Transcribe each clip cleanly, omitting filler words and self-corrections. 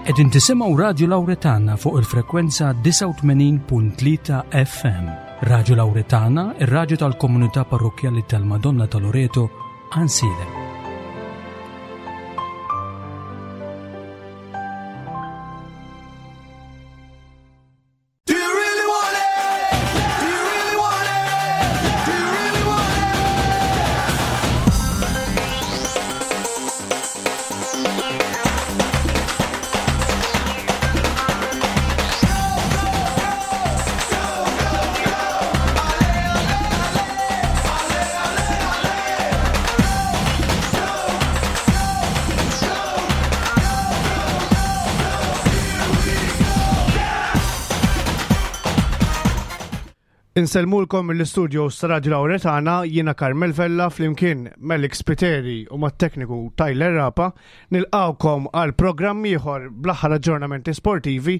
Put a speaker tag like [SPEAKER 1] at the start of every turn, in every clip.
[SPEAKER 1] Qegħdin tisimgħu Radju Lawretana fuq il-frekwenza 89.3 FM. Radju Lawretana, ir-radju tal-komunità parrokkjali tal-Madonna ta' Loreto, Ansilem.
[SPEAKER 2] Do you really want it? Do you really want it? Do you really want it?
[SPEAKER 3] Insellmulkom mill-istudios ta' Radio Lauretana, jiena Carmel Vella flimkien Melik Spiteri u mat-tekniku Tyler Rapa nilqawkom għal programm ieħor bl-aħħar aġġornamenti sportivi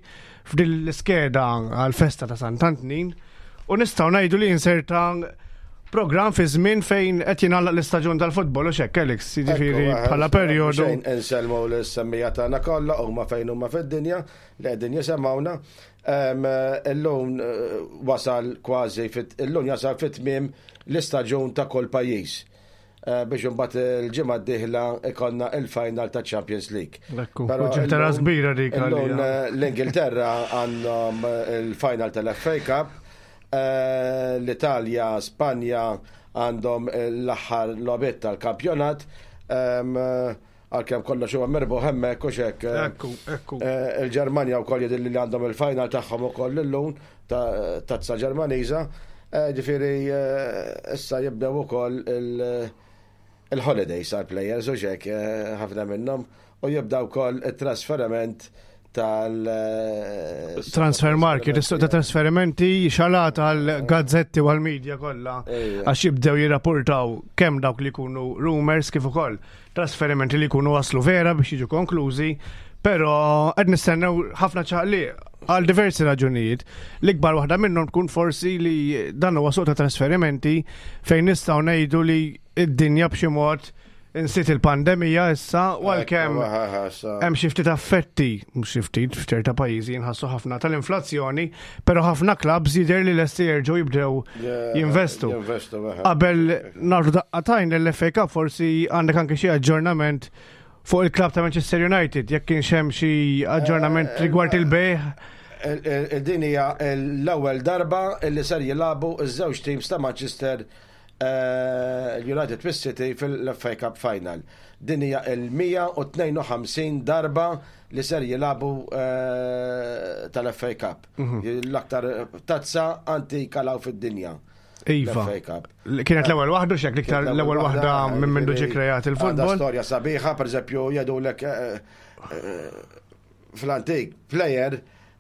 [SPEAKER 3] f'din l-iskeda għal festa ta' Sant'Antnin u nistgħu ngħidu li inserta programm fi żmien fejn qed jingħalaq l-istaġun tal-futbol u xekk Alex, jiġifieri bħala perjodu.
[SPEAKER 4] Insellmu l-semmija tagħna kollha huma fejn huma fid-dinja li qegħdin jisemgħuna. Illum eh, wasal kważi, illum jasal fit-tmiem l-istaġun ta' kull pajjiż. Eh, biex imbagħad il-ġimgħa d-dieħla ikonna il-final ta' Champions League.
[SPEAKER 3] Ekku, ġimgħa kbira dik.
[SPEAKER 4] Illum eh, l-Ingilterra għandhom il-final tal-FA Cup, l-Italja, Spanja għandhom l-aħħar logħbiet tal-kampjonat. Għalkemm kollox huwa mirbuħ hemmhekk u x'hekk.
[SPEAKER 3] Ekku, ekku.
[SPEAKER 4] Eh, Il-Ġermanja wkoll jidhirli li għandhom il-final tagħhom ukoll illum ta' tazza Ġermaniża. Eh, Ġifieri eh, issa jibdew ukoll il- il-holidays għal players u x'hekk eh, ħafna minnhom u jibda wkoll it-trasferiment tal eh,
[SPEAKER 3] Transfer market, is-suq ta' trasferimenti xalat għal gazzetti u għal media kollha
[SPEAKER 4] Ejja.
[SPEAKER 3] għax jibdew jirrapportaw kemm dawk li jkunu rumors kif ukoll trasferimenti li jkunu waslu vera biex jiġu konklużi, però qed nistennew ħafna ċaqliq għal diversi raġunijiet. L-ikbar waħda minnhom tkun forsi li dan huwa suq ta' trasferimenti fejn nistgħu ngħidu li id-dinja b'xi mod insiet il-pandemija issa u għalkemm hemm xi ftit affetti, mhux xi ftit f'ċerta pajjiżi jinħassu ħafna tal-inflazzjoni, però ħafna clubs jidher li lesti jerġgħu jibdew jinvestu.
[SPEAKER 4] Jinvestu, eħe.
[SPEAKER 3] Qabel nagħtu daqqatajn l-FA Cup forsi għandek anke xi aġġornament fuq il-klabb ta' Manchester United, jekk kienx hemm xi aġġornament rigward il-bejħ.
[SPEAKER 4] Il-din hija l-ewwel darba li ser jilagħbu ż-żewġ teams ta' Manchester eh, United fis-City fil-FA Cup Final. Din hija il-152 darba li ser jilagħbu eh, tal-FA Cup. L-aktar tazza antika law fid-dinja.
[SPEAKER 3] Iva.
[SPEAKER 4] L-FA Cup.
[SPEAKER 3] Kienet l-ewwel waħda xek l-iktar l-ewwel waħda minn mindu ġie kreat
[SPEAKER 4] Għandha
[SPEAKER 3] il-futbol.
[SPEAKER 4] storja sabiħa, per eżempju, jgħidulek eh, eh, fl-antik player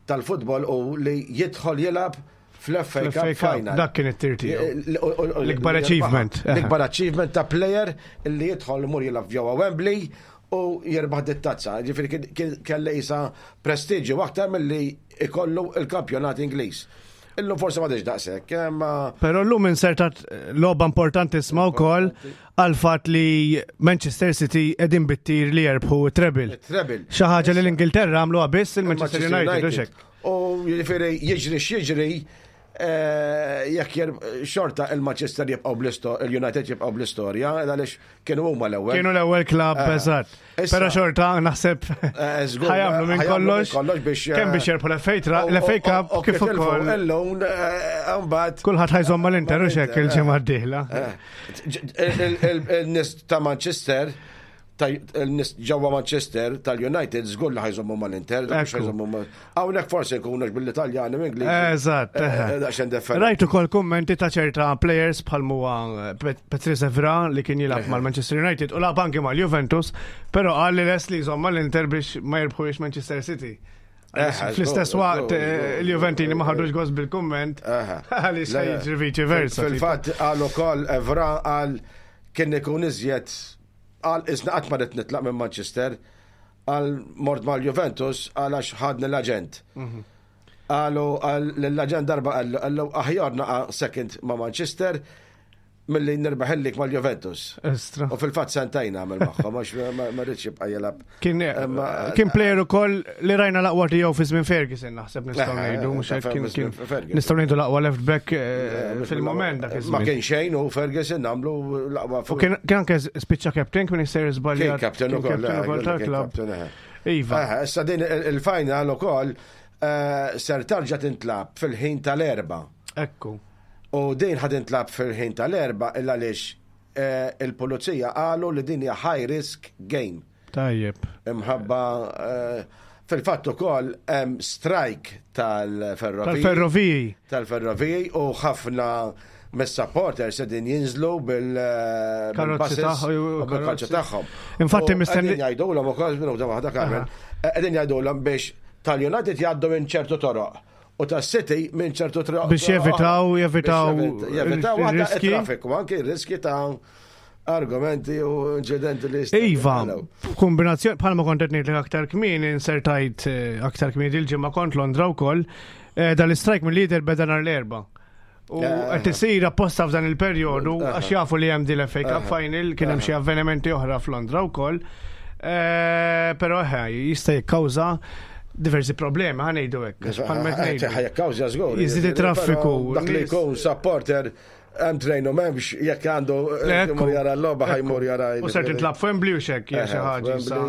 [SPEAKER 4] tal-futbol u li jidħol jilgħab fl-FA Cup
[SPEAKER 3] Fl-FA Cup,
[SPEAKER 4] Final.
[SPEAKER 3] dak kien it-tir tiegħu.
[SPEAKER 4] L-ikbar
[SPEAKER 3] L-ikbar achievement.
[SPEAKER 4] L-ikbar achievement ta' player li jidħol imur jilgħab ġewwa Wembley u jirbaħ dit-tazza. Ġifieri kien- kien kelli isa prestiġju aktar milli ikollu il-kampjonat Ingliż. Illum forsi ma daqshekk, imma
[SPEAKER 3] Però llum insertat logħba importantissima wkoll għal fatt li Manchester City qegħdin bittir li jerbħu treble.
[SPEAKER 4] treble.
[SPEAKER 3] Xi ħaġa li l-Ingilterra għamluha biss il-Manchester United u xek.
[SPEAKER 4] U jiġifieri jiġri x'jiġri eh, jekk xorta il-Manchester jibqgħu bl-istorja, il-United jibqgħu bl-istorja, għaliex kienu huma l-ewwel.
[SPEAKER 3] Kienu l-ewwel klabb eżatt.
[SPEAKER 4] Issa-
[SPEAKER 3] Però xorta naħseb
[SPEAKER 4] Eh, żgur,
[SPEAKER 3] ħajamlu minn
[SPEAKER 4] ħajamlu minn
[SPEAKER 3] kollox
[SPEAKER 4] kollox biex, eh,
[SPEAKER 3] kemm biex jerbħu l-FA tra- l-FA Cup
[SPEAKER 4] U
[SPEAKER 3] kif
[SPEAKER 4] tilfu
[SPEAKER 3] ukoll
[SPEAKER 4] Illum eh, mbagħad
[SPEAKER 3] kulħadd ħajżomm mal-Inter u xek il-ġimgħa d-dieħla.
[SPEAKER 4] Eh. Il-nies ta' Manchester il-nies ġewwa Manchester tal-United żgur li ħajżommu mal-Inter, dak mhux
[SPEAKER 3] Ekku.
[SPEAKER 4] ħajżommu mal. Hawnhekk forsi jkunu bil-Italjani minn
[SPEAKER 3] Eżatt. eħe.
[SPEAKER 4] Daqsxejn differenti.
[SPEAKER 3] Rajt ukoll kummenti ta' ċerta players bħal huwa eh, Pet- Patrice Evra li kien jilgħab mal-Manchester United u lagħab anke mal-Juventus, però qal li les li jżomm mal-Inter biex ma jirbħux Manchester City.
[SPEAKER 4] Eħe,
[SPEAKER 3] Fl-istess
[SPEAKER 4] żgur,
[SPEAKER 3] waqt
[SPEAKER 4] żgur,
[SPEAKER 3] eh,
[SPEAKER 4] żgur,
[SPEAKER 3] il-Juventini ma ħadux gost bil-kumment
[SPEAKER 4] Eħe.
[SPEAKER 3] għaliex
[SPEAKER 4] Le, le.
[SPEAKER 3] jiġri viċi versa.
[SPEAKER 4] Fil-fatt qal ukoll Evra qal kien ikun iżjed qal isna qatt ma rid nitlaq minn Manchester qal mort mal-Juventus għal għax ħadni l-aġent. Qalu qal l-aġent darba qallu qallu aħjar naqa' second ma' Manchester. milli nirbaħ il-lig mal-Juventus.
[SPEAKER 3] Estra.
[SPEAKER 4] U fil-fatt sentejn għamel magħhom għax ma rridx jibqa' jilgħab.
[SPEAKER 3] Kien kien player ukoll li rajna l-aqwa tiegħu fi żmien Ferguson naħseb nistgħu ngħidu mhux hekk kien kien nistgħu ngħidu l-aqwa left back eh, fil-moment dak
[SPEAKER 4] iż-żmien. Ma kien xejn u Ferguson għamlu l-aqwa.
[SPEAKER 3] U kien anke spiċċa captain kien jisser żbaljat.
[SPEAKER 4] Kien captain ukoll eh, tal-klabb.
[SPEAKER 3] Eh. Iva.
[SPEAKER 4] Issa din il-final ukoll ser tarġa' tintlab fil-ħin tal-erba.
[SPEAKER 3] Ekku.
[SPEAKER 4] U din ħa tintlagħab fil-ħin tal-Erbgħa il għaliex il-pulizija qalu li din hija high risk game.
[SPEAKER 3] Tajjeb.
[SPEAKER 4] Imħabba fil-fatt ukoll hemm strike tal-ferroviji.
[SPEAKER 3] Tal-ferroviji.
[SPEAKER 4] Tal-ferroviji u ħafna mis-supporters qegħdin jinżlu bil-karozzi tagħhom. tagħhom.
[SPEAKER 3] Infatti mistenni.
[SPEAKER 4] Qegħdin jgħidulhom ukoll minuta waħda Carmen. Qegħdin jgħidulhom biex tal-United jgħaddu minn ċertu toroq u ta' City minn ċertu triq.
[SPEAKER 3] Biex jevitaw, jevitaw.
[SPEAKER 4] Jevitaw riski. Traffiku, anki riski ta' argumenti u inċidenti li
[SPEAKER 3] Iva, kombinazzjoni, bħalma kont qed ngħidlek aktar kmieni, insertajt eh, aktar kmieni il-ġimgħa kont Londra wkoll, eh, dal-istrajk mill-lider beda nhar l-erba. U eh, qed isir apposta f'dan il-perjodu għax jafu li hemm din l-FA Cup final, kien hemm xi avvenimenti oħra f'Londra wkoll. Però jista' jikkawża diversi problemi, ħa ngħidu hekk.
[SPEAKER 4] Ħa jikkawża żgur.
[SPEAKER 3] Jiżdied it-traffiku.
[SPEAKER 4] Dak li jkun supporter hemm trejn u m'hemmx jekk għandu jmur jara l-logħba ħajmur jara.
[SPEAKER 3] U ser tintlab f'Wembley u xekk hija xi ħaġa.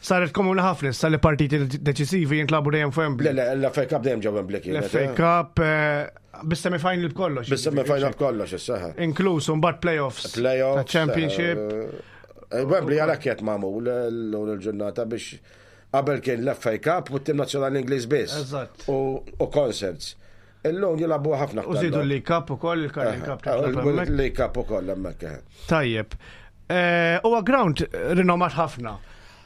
[SPEAKER 3] Saret komuni ħafna issa li partiti deċisivi jintlabu dejjem f'Wembley.
[SPEAKER 4] Le, l-FA Cup dejjem ġew Wembley
[SPEAKER 3] kienet. L-FA Cup eh, bis-semi-final b'kollox.
[SPEAKER 4] Bis-semi-final b'kollox issa.
[SPEAKER 3] Inkluż mbagħad playoffs.
[SPEAKER 4] Playoffs.
[SPEAKER 3] Championship.
[SPEAKER 4] Eh, Wembley għalhekk qed magħmul l-ġurnata biex Qabel kien l-FA Cup u t-tim nazzjonali Ingliż biss.
[SPEAKER 3] Eżatt.
[SPEAKER 4] U concerts. Illum jilagħbu ħafna
[SPEAKER 3] aktar. U żidu l-League Cup ukoll, il-Carling Cup.
[SPEAKER 4] Il-League Cup ukoll hemmhekk. Eh.
[SPEAKER 3] Tajjeb. Eh, huwa ground rinomat ħafna.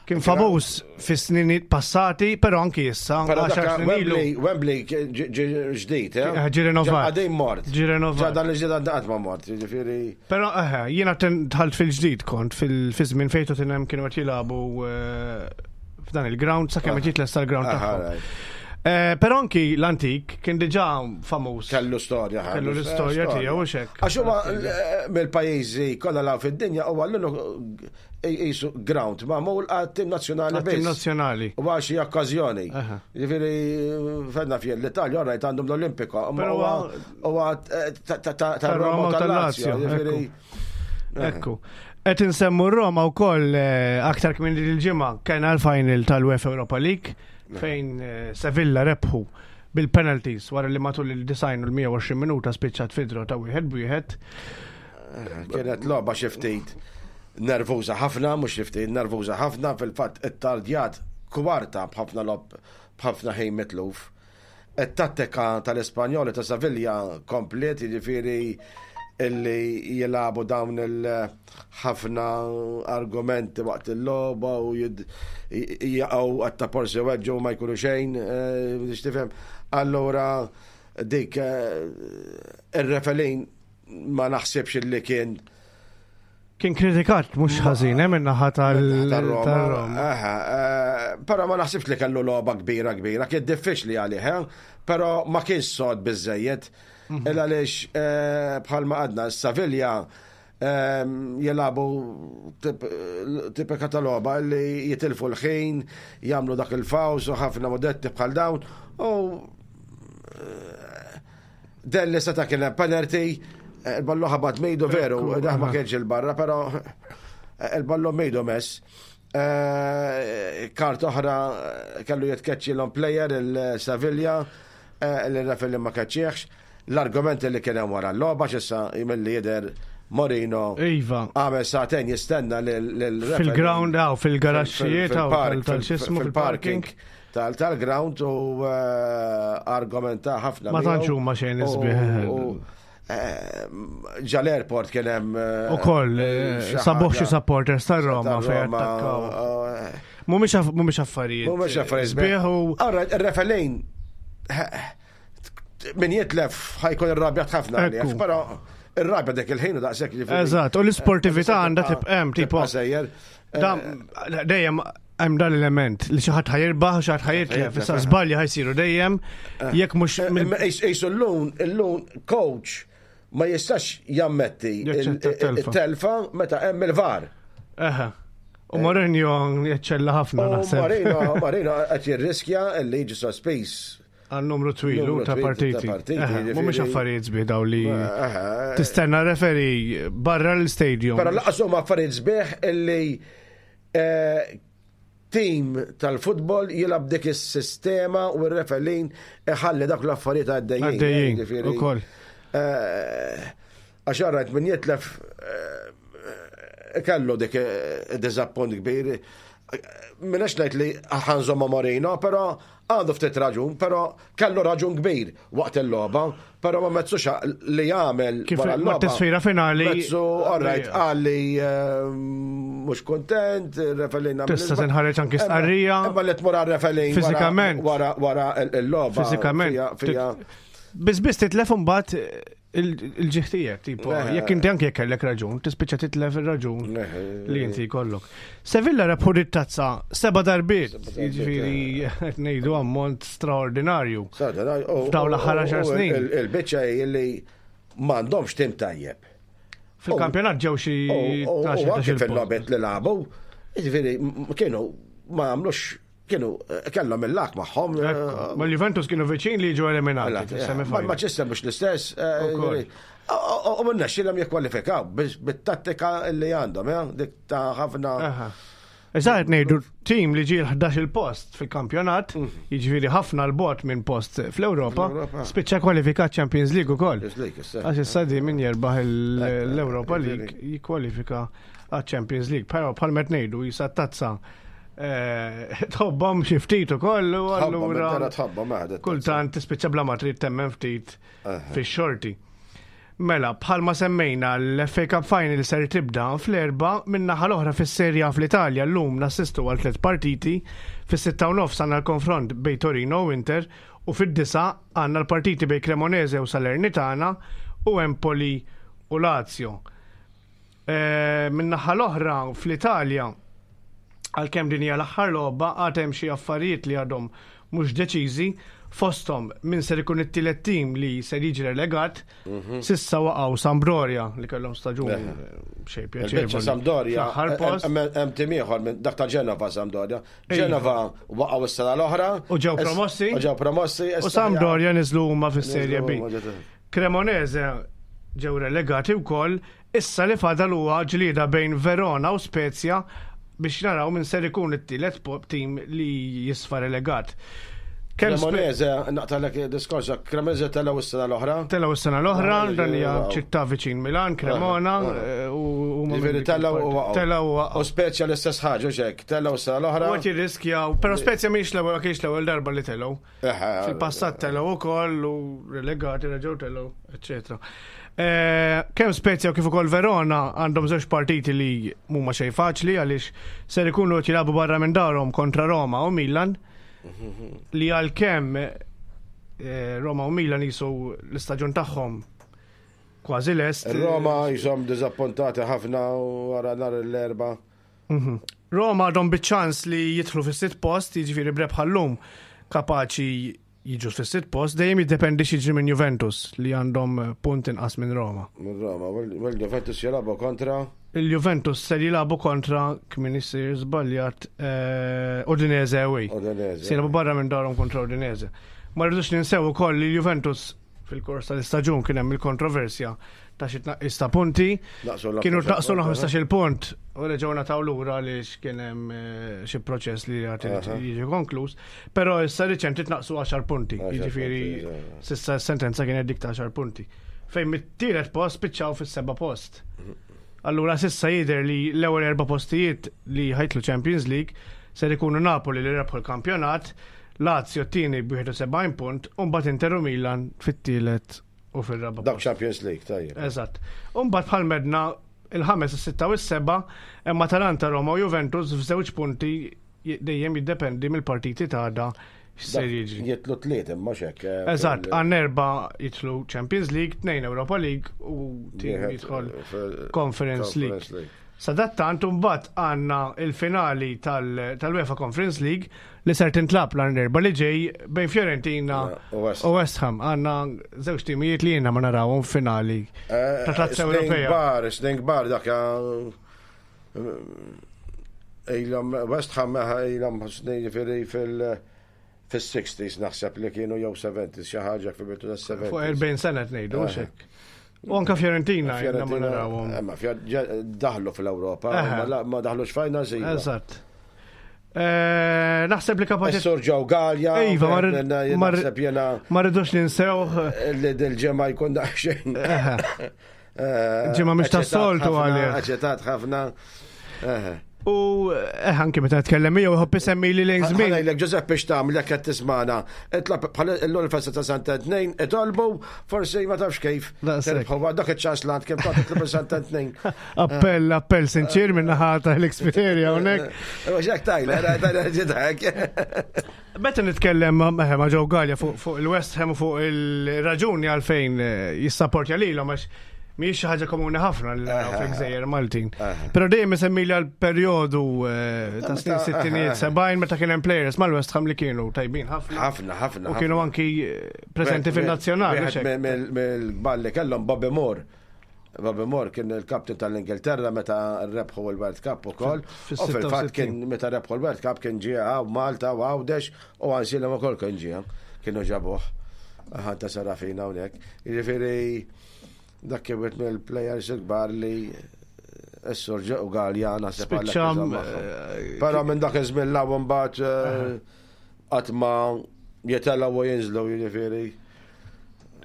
[SPEAKER 3] Kien famuż fi snin passati, però anki issa.
[SPEAKER 4] Però Wembley, Wembley ġdid, eh?
[SPEAKER 3] eh ġi renovat.
[SPEAKER 4] Għadej mort.
[SPEAKER 3] Ġi renovat.
[SPEAKER 4] Ġa dan il-ġdid għad ma mort, ġifieri.
[SPEAKER 3] Però eħe, jiena dħalt fil-ġdid kont fil-żmien fejn Tottenham kienu qed jilagħbu eh, f'dan il-ground sakemm qed jitlesta l-ground tagħhom. Eh, però anki l-antik kien diġà famuż.
[SPEAKER 4] Kellu storja.
[SPEAKER 3] Kellu l-istorja tiegħu u xek.
[SPEAKER 4] Għax huma eh, mill-pajjiżi kollha law fid-dinja huwa l jisu ground magħmul għat-tim nazzjonali biss.
[SPEAKER 3] Tim nazzjonali.
[SPEAKER 4] U għal xi okkażjoni. Jiġifieri fedna fjel l-Italja orajt għandhom l-Olimpiko. Huwa huwa ta' Roma u tal-Lazio. Jiġifieri.
[SPEAKER 3] Ekku. Qed insemmu Roma wkoll eh, aktar kmin il-ġimgħa kien l-final tal-UEFA Europa League fejn eh, Sevilla rebħu bil-penalties wara li matul il-design u l-120 minuta spiċċat fidro ta' wieħed b'wieħed.
[SPEAKER 4] Kienet logħba xi ftit nervuża ħafna, mhux xi ftit nervuża ħafna, fil-fatt ittardjat kwarta b'ħafna logħob b'ħafna ħin mitluf. It-tattika tal-Ispanjoli ta' Savilja kompliet, jiġifieri illi jilagħbu dawn il-ħafna argumenti waqt il-logħba u jaqgħu għatta porsi weġġu ma jkunu xejn, eh, biex tifhem. Allura dik eh, ir-refelin ma naħsibx illi kien
[SPEAKER 3] Kien kritikat mhux ħażin hemm eh, in-naħa tal-Roma.
[SPEAKER 4] Eh, però ma naħsibx li kellu logħba kbira kbira, kien diffiċli għalih, eh, però ma kienx sod biżejjed. Mhm. Il għaliex bħalma għadna Savilja jelabu tipika ta' logħba li jitilfu l-ħin, jagħmlu dak il-faws u ħafna modetti bħal dawn u Delli seta' kien hemm penalty, eh, il-ballu ħabat mejdu veru, daħ ma kienx il-barra, però eh, il-ballu mejdu mess. Eh, kart oħra kellu jitkeċċi l player il-Sevilla, l-referee ma keċċieħx. L-argumenti li kien hemm wara l-logħba x'issa milli jidher Morino.
[SPEAKER 3] Iva.
[SPEAKER 4] Għamel sagħtejn jistenna lil
[SPEAKER 3] Fil-ground għaw, fil-garaxxijiet għaw, tal-xismu
[SPEAKER 4] fil-parking. Tal-ground u eh, argumenta ħafna.
[SPEAKER 3] Ma tantx huma xejn isbieħ.
[SPEAKER 4] Eh, ġa l-airport kien hemm. Eh,
[SPEAKER 3] Ukoll sabuħ xi supporters tar-Roma fejn attakkaw. Mhumiex affarijiet.
[SPEAKER 4] Mhumiex affarijiet.
[SPEAKER 3] Sbieħ u.
[SPEAKER 4] Allora, ir-refelejn min jitlef ħajkun irrabjat ħafna għalih, però irrabja dik il-ħin u daqshekk
[SPEAKER 3] jiġifieri. Eżatt, u l-isportività għandha tibqa' hemm tipo.
[SPEAKER 4] Sejjer.
[SPEAKER 3] Dejjem hemm dan l-element li xi ħadd ħajirbaħ u xi ħadd ħajitlef, issa żbalji ħajsiru dejjem eh. jekk mhux.
[SPEAKER 4] Eh, ejsu llum, illum coach Ma jistax jammetti il-telfa meta hemm il-VAR.
[SPEAKER 3] Eħe. U Mourinho jaċċella ħafna naħseb.
[SPEAKER 4] Mourinho, Mourinho qed jirriskja li jiġi sospiż.
[SPEAKER 3] Għal numru twil ta' partiti. Mhumiex affarijiet sbieħ daw li tistenna referi barra l-stadium.
[SPEAKER 4] Però laqas huma affarijiet sbieħ illi eh, tim tal-futbol jilgħab dik is-sistema u r-referin iħalli dak l-affarijiet għaddejjin.
[SPEAKER 3] Għaddejjin, ukoll.
[SPEAKER 4] Eh, għax rajt min jitlef eh, kellu dik eh, diżappunt kbir. Minnex ngħid li ħanżomma Morino, però Għandu ftit raġun, però kellu raġun kbir waqt il-logħba, però ma mezzux li jagħmel
[SPEAKER 3] Kif wara l-logħba. Tisfira finali.
[SPEAKER 4] Mezzu, all right, qal li eh, mhux kuntent, referee
[SPEAKER 3] Tista' tinħareġ anki stqarrija.
[SPEAKER 4] Imma li tmur għar-referee
[SPEAKER 3] Fiżikament.
[SPEAKER 4] Wara wara l-logħba.
[SPEAKER 3] Fiżikament. Biss biss titlef imbagħad il-ġieħ tiegħek, tipo, jekk inti anke jekk kellek raġun, tispiċċa titlef ir-raġun li inti jkollok. Sevilla rebħu tazza seba' darbiet, jiġifieri qed ngħidu ammont straordinarju. F'dawn l-aħħar 10 snin.
[SPEAKER 4] Il-biċċa li m'għandhomx tim tajjeb.
[SPEAKER 3] Fil-kampjonat ġew xi
[SPEAKER 4] U anke fil-logħbiet li lagħbu, jiġifieri kienu ma għamlux Kienu eh, kellhom il-lak magħhom.
[SPEAKER 3] Eh, ma l-Juventus kienu viċin li jiġu eliminati.
[SPEAKER 4] Ma Manchester mhux l-istess. Eh, u minna xilhom jikkwalifikaw bit-tattika li għandhom, dik ta' ħafna.
[SPEAKER 3] Eżatt ngħidu tim li ġie l-11 il-post fil-kampjonat, jiġifieri ħafna l-bot minn post fl-Ewropa, spiċċa kwalifikat Champions League ukoll. Għax issa di min jerbaħ l-Ewropa League jikkwalifika għaċ-Champions League. Però bħal met ngħidu jisa tazza eh, tħobbhom xi ftit ukoll u allura kultant tispiċċa bla ma trid temmen ftit fix-xorti. Mela, bħalma semmejna l-FA Cup Final ser tibda fl-erba min-naħa l-oħra fis-Serie A fl-Italja llum nassistu għal tliet partiti, fis-sitta u nofs għandna l-konfront bejn Torino u Inter u fid-disgħa għandna l-partiti bejn Cremonese u Salernitana u Empoli u Lazio. Eh, min-naħa l-oħra fl-Italja, għalkemm din hija l-aħħar logħba, għad hemm xi affarijiet li għadhom mhux deċiżi, fosthom min ser ikun it-tielet tim li ser jiġi relegat, sissa waqgħu Sampdoria li kellhom staġun xejn
[SPEAKER 4] pjaċevoli. Sampdoria, hemm tim ieħor minn dak ta' Genova Sampdoria. Genova waqgħu s-sena l-oħra.
[SPEAKER 3] U ġew promossi.
[SPEAKER 4] U ġew promossi.
[SPEAKER 3] U Sampdoria niżlu huma fis-Serie B. Cremonese ġew relegati wkoll, issa li fadal huwa ġlieda bejn Verona u Spezia biex naraw min ser ikun it-tielet tim li jisfa relegat.
[SPEAKER 4] Cremonese, naqtalek diskors, Cremonese telgħu s-sena l-oħra.
[SPEAKER 3] Telgħu s-sena l-oħra, dan hija ċittà viċin Milan, Cremona, eh,
[SPEAKER 4] u Ġifieri telgħu u waqgħu.
[SPEAKER 3] Telgħu u waqgħu.
[SPEAKER 4] U Spezia l-istess ħaġa, xek, telgħu s-sena l-oħra.
[SPEAKER 3] U qed jirriskjaw, però Spezia mhix l-ewwel kienx l-ewwel darba li telgħu. Fil-passat telgħu ukoll u relegati reġgħu telgħu, eċetera. Eh, kemm Spezia u kif ukoll Verona għandhom żewġ partiti li mhuma xejn faċli għaliex ser ikunu qed jilagħbu barra minn darhom kontra Roma u Milan li għalkemm eh, Roma u Milan jisu l-istaġun tagħhom kważi lest.
[SPEAKER 4] Roma jisom diżappuntati ħafna wara nhar l-erba.
[SPEAKER 3] Mhm. Roma għadhom biċ-ċans li jidħlu fis-sitt post, jiġifieri b'rebħa llum kapaċi jiġu fis-sitt post, dejjem jiddependi x'jiġri minn Juventus li għandhom punt inqas minn Roma.
[SPEAKER 4] Minn Roma, u l-Juventus jilagħbu kontra?
[SPEAKER 3] Il-Juventus ser jilagħbu kontra kmin isir żbaljat eh, Udinese away.
[SPEAKER 4] Udinese.
[SPEAKER 3] Se jilagħbu barra minn darhom kontra Udinese. Ma rridux ninsew ukoll li Juventus fil-kors tal-istaġun kien hemm il-kontroversja ta' xi tnaqqis ta' punti. Kienu tnaqqsu 15 punt u reġgħu nataw lura għaliex kien hemm eh, xi proċess li għad jiġi konkluż. Però issa riċenti tnaqqsu 10 punti. Jiġifieri s'issa s-sentenza kienet dik ta' 10 punti. Fejn mit-tielet post spiċċaw fis-seba' post. Allura s'issa jidher li l-ewwel erba' postijiet li ħajtlu Champions League ser ikunu Napoli li rebħu l-kampjonat, Lazio t-tieni b'71 punt u mbagħad Inter u Milan fit-tielet u fir-raba'
[SPEAKER 4] Dawk Champions League, tajjeb.
[SPEAKER 3] Eżatt. U mbagħad bħal medna il-ħames, is-sitta u s-seba' hemm Atalanta, Roma u Juventus f'żewġ punti dejjem jiddependi mill-partiti ta' għada x'ser jiġri.
[SPEAKER 4] Jitlu tliet imma x'hekk. Eh,
[SPEAKER 3] Eżatt, għan erba' jitlu Champions League, tnejn Europa League u tim jidħol Conference League. Sadattant imbagħad għandna il-finali tal-UEFA Conference League li ser tintlab nhar l-Erbgħa li ġej bejn Fiorentina
[SPEAKER 4] U West
[SPEAKER 3] u West Ham. Għandna żewġ timijiet li jiena ma narawhom finali ta' tazza
[SPEAKER 4] Snin
[SPEAKER 3] Ewropea.
[SPEAKER 4] kbar, snin kbar dak ilhom West Ham ilhom snin jiġifieri fil- fis-60s naħseb li kienu jew 70s xi ħaġa fil-bidu tas-70s.
[SPEAKER 3] Fuq 40 sena qed ngħidu hux hekk. U anke Fiorentina jiena ma narawhom.
[SPEAKER 4] Ma daħlu fl-Ewropa, ma ma daħlux finals iva.
[SPEAKER 3] Eżatt. Eh, Naħseb li kapaċi
[SPEAKER 4] Is-Sur Joe Gallia.
[SPEAKER 3] Iva, ma
[SPEAKER 4] wieħed minna naħseb jiena
[SPEAKER 3] ma rridux ninsewh.
[SPEAKER 4] li dil-ġemma jkun daqsxejn.
[SPEAKER 3] Ġimgħa mhix tas-soltu għalih.
[SPEAKER 4] Aċċettat ħafna.
[SPEAKER 3] U eh, anke meta tkellem miegħu jħobb isemmi li lejn żmien.
[SPEAKER 4] Ħanajlek Giuseppe x'tagħmel jekk qed tismana. Itlab bħal illum il-festa ta' Santa Tnejn, itolbu forsi ma tafx kif.
[SPEAKER 3] Daqshekk.
[SPEAKER 4] Tirbħu dak iċ-ċans l kemm tagħti titlob Santa Tnejn.
[SPEAKER 3] Appell, appell sinċir minn naħa ta' l-Xpiteria hawnhekk.
[SPEAKER 4] X'hekk tajla, tajla ġidek.
[SPEAKER 3] Meta nitkellem ma' ma' ma' Joe Gallia fuq fuq il-West Ham u fuq il-raġuni għalfejn eh, jissapportja lilhom għax mhijiex xi ħaġa komuni ħafna li naraw fil-Gżejjer Maltin. Però dejjem isemmi li għal perjodu eh, ta' snin sittinijiet sebgħin meta kien hemm players mal-West Ham li kienu tajbin ħafna.
[SPEAKER 4] Ħafna, ħafna.
[SPEAKER 3] U kienu anki eh, preżenti fil-nazzjonal. mhux hekk?
[SPEAKER 4] Mill-kbar li kellhom Bobby Moore. Bobby Moore kien il-kapten tal-Ingilterra meta rebħu l-World Cup ukoll.
[SPEAKER 3] Fil-
[SPEAKER 4] U fil-fatt
[SPEAKER 3] fil-66.
[SPEAKER 4] kien meta rebħu l-World Cup kien ġie hawn Malta u Għawdex u Għansilem ukoll kien ġie. Kienu ġabuh. Ħanta Serafina hawnhekk. Jiġifieri dak kien wieħed mill-players il-kbar li s-sur u Galja naħseb għalhekk
[SPEAKER 3] Spiċċa,
[SPEAKER 4] iżomm magħhom.
[SPEAKER 3] eh,
[SPEAKER 4] Però minn dak iż-żmien l mbagħad eh, qatt ma jitilgħu u jinżlu jiġifieri.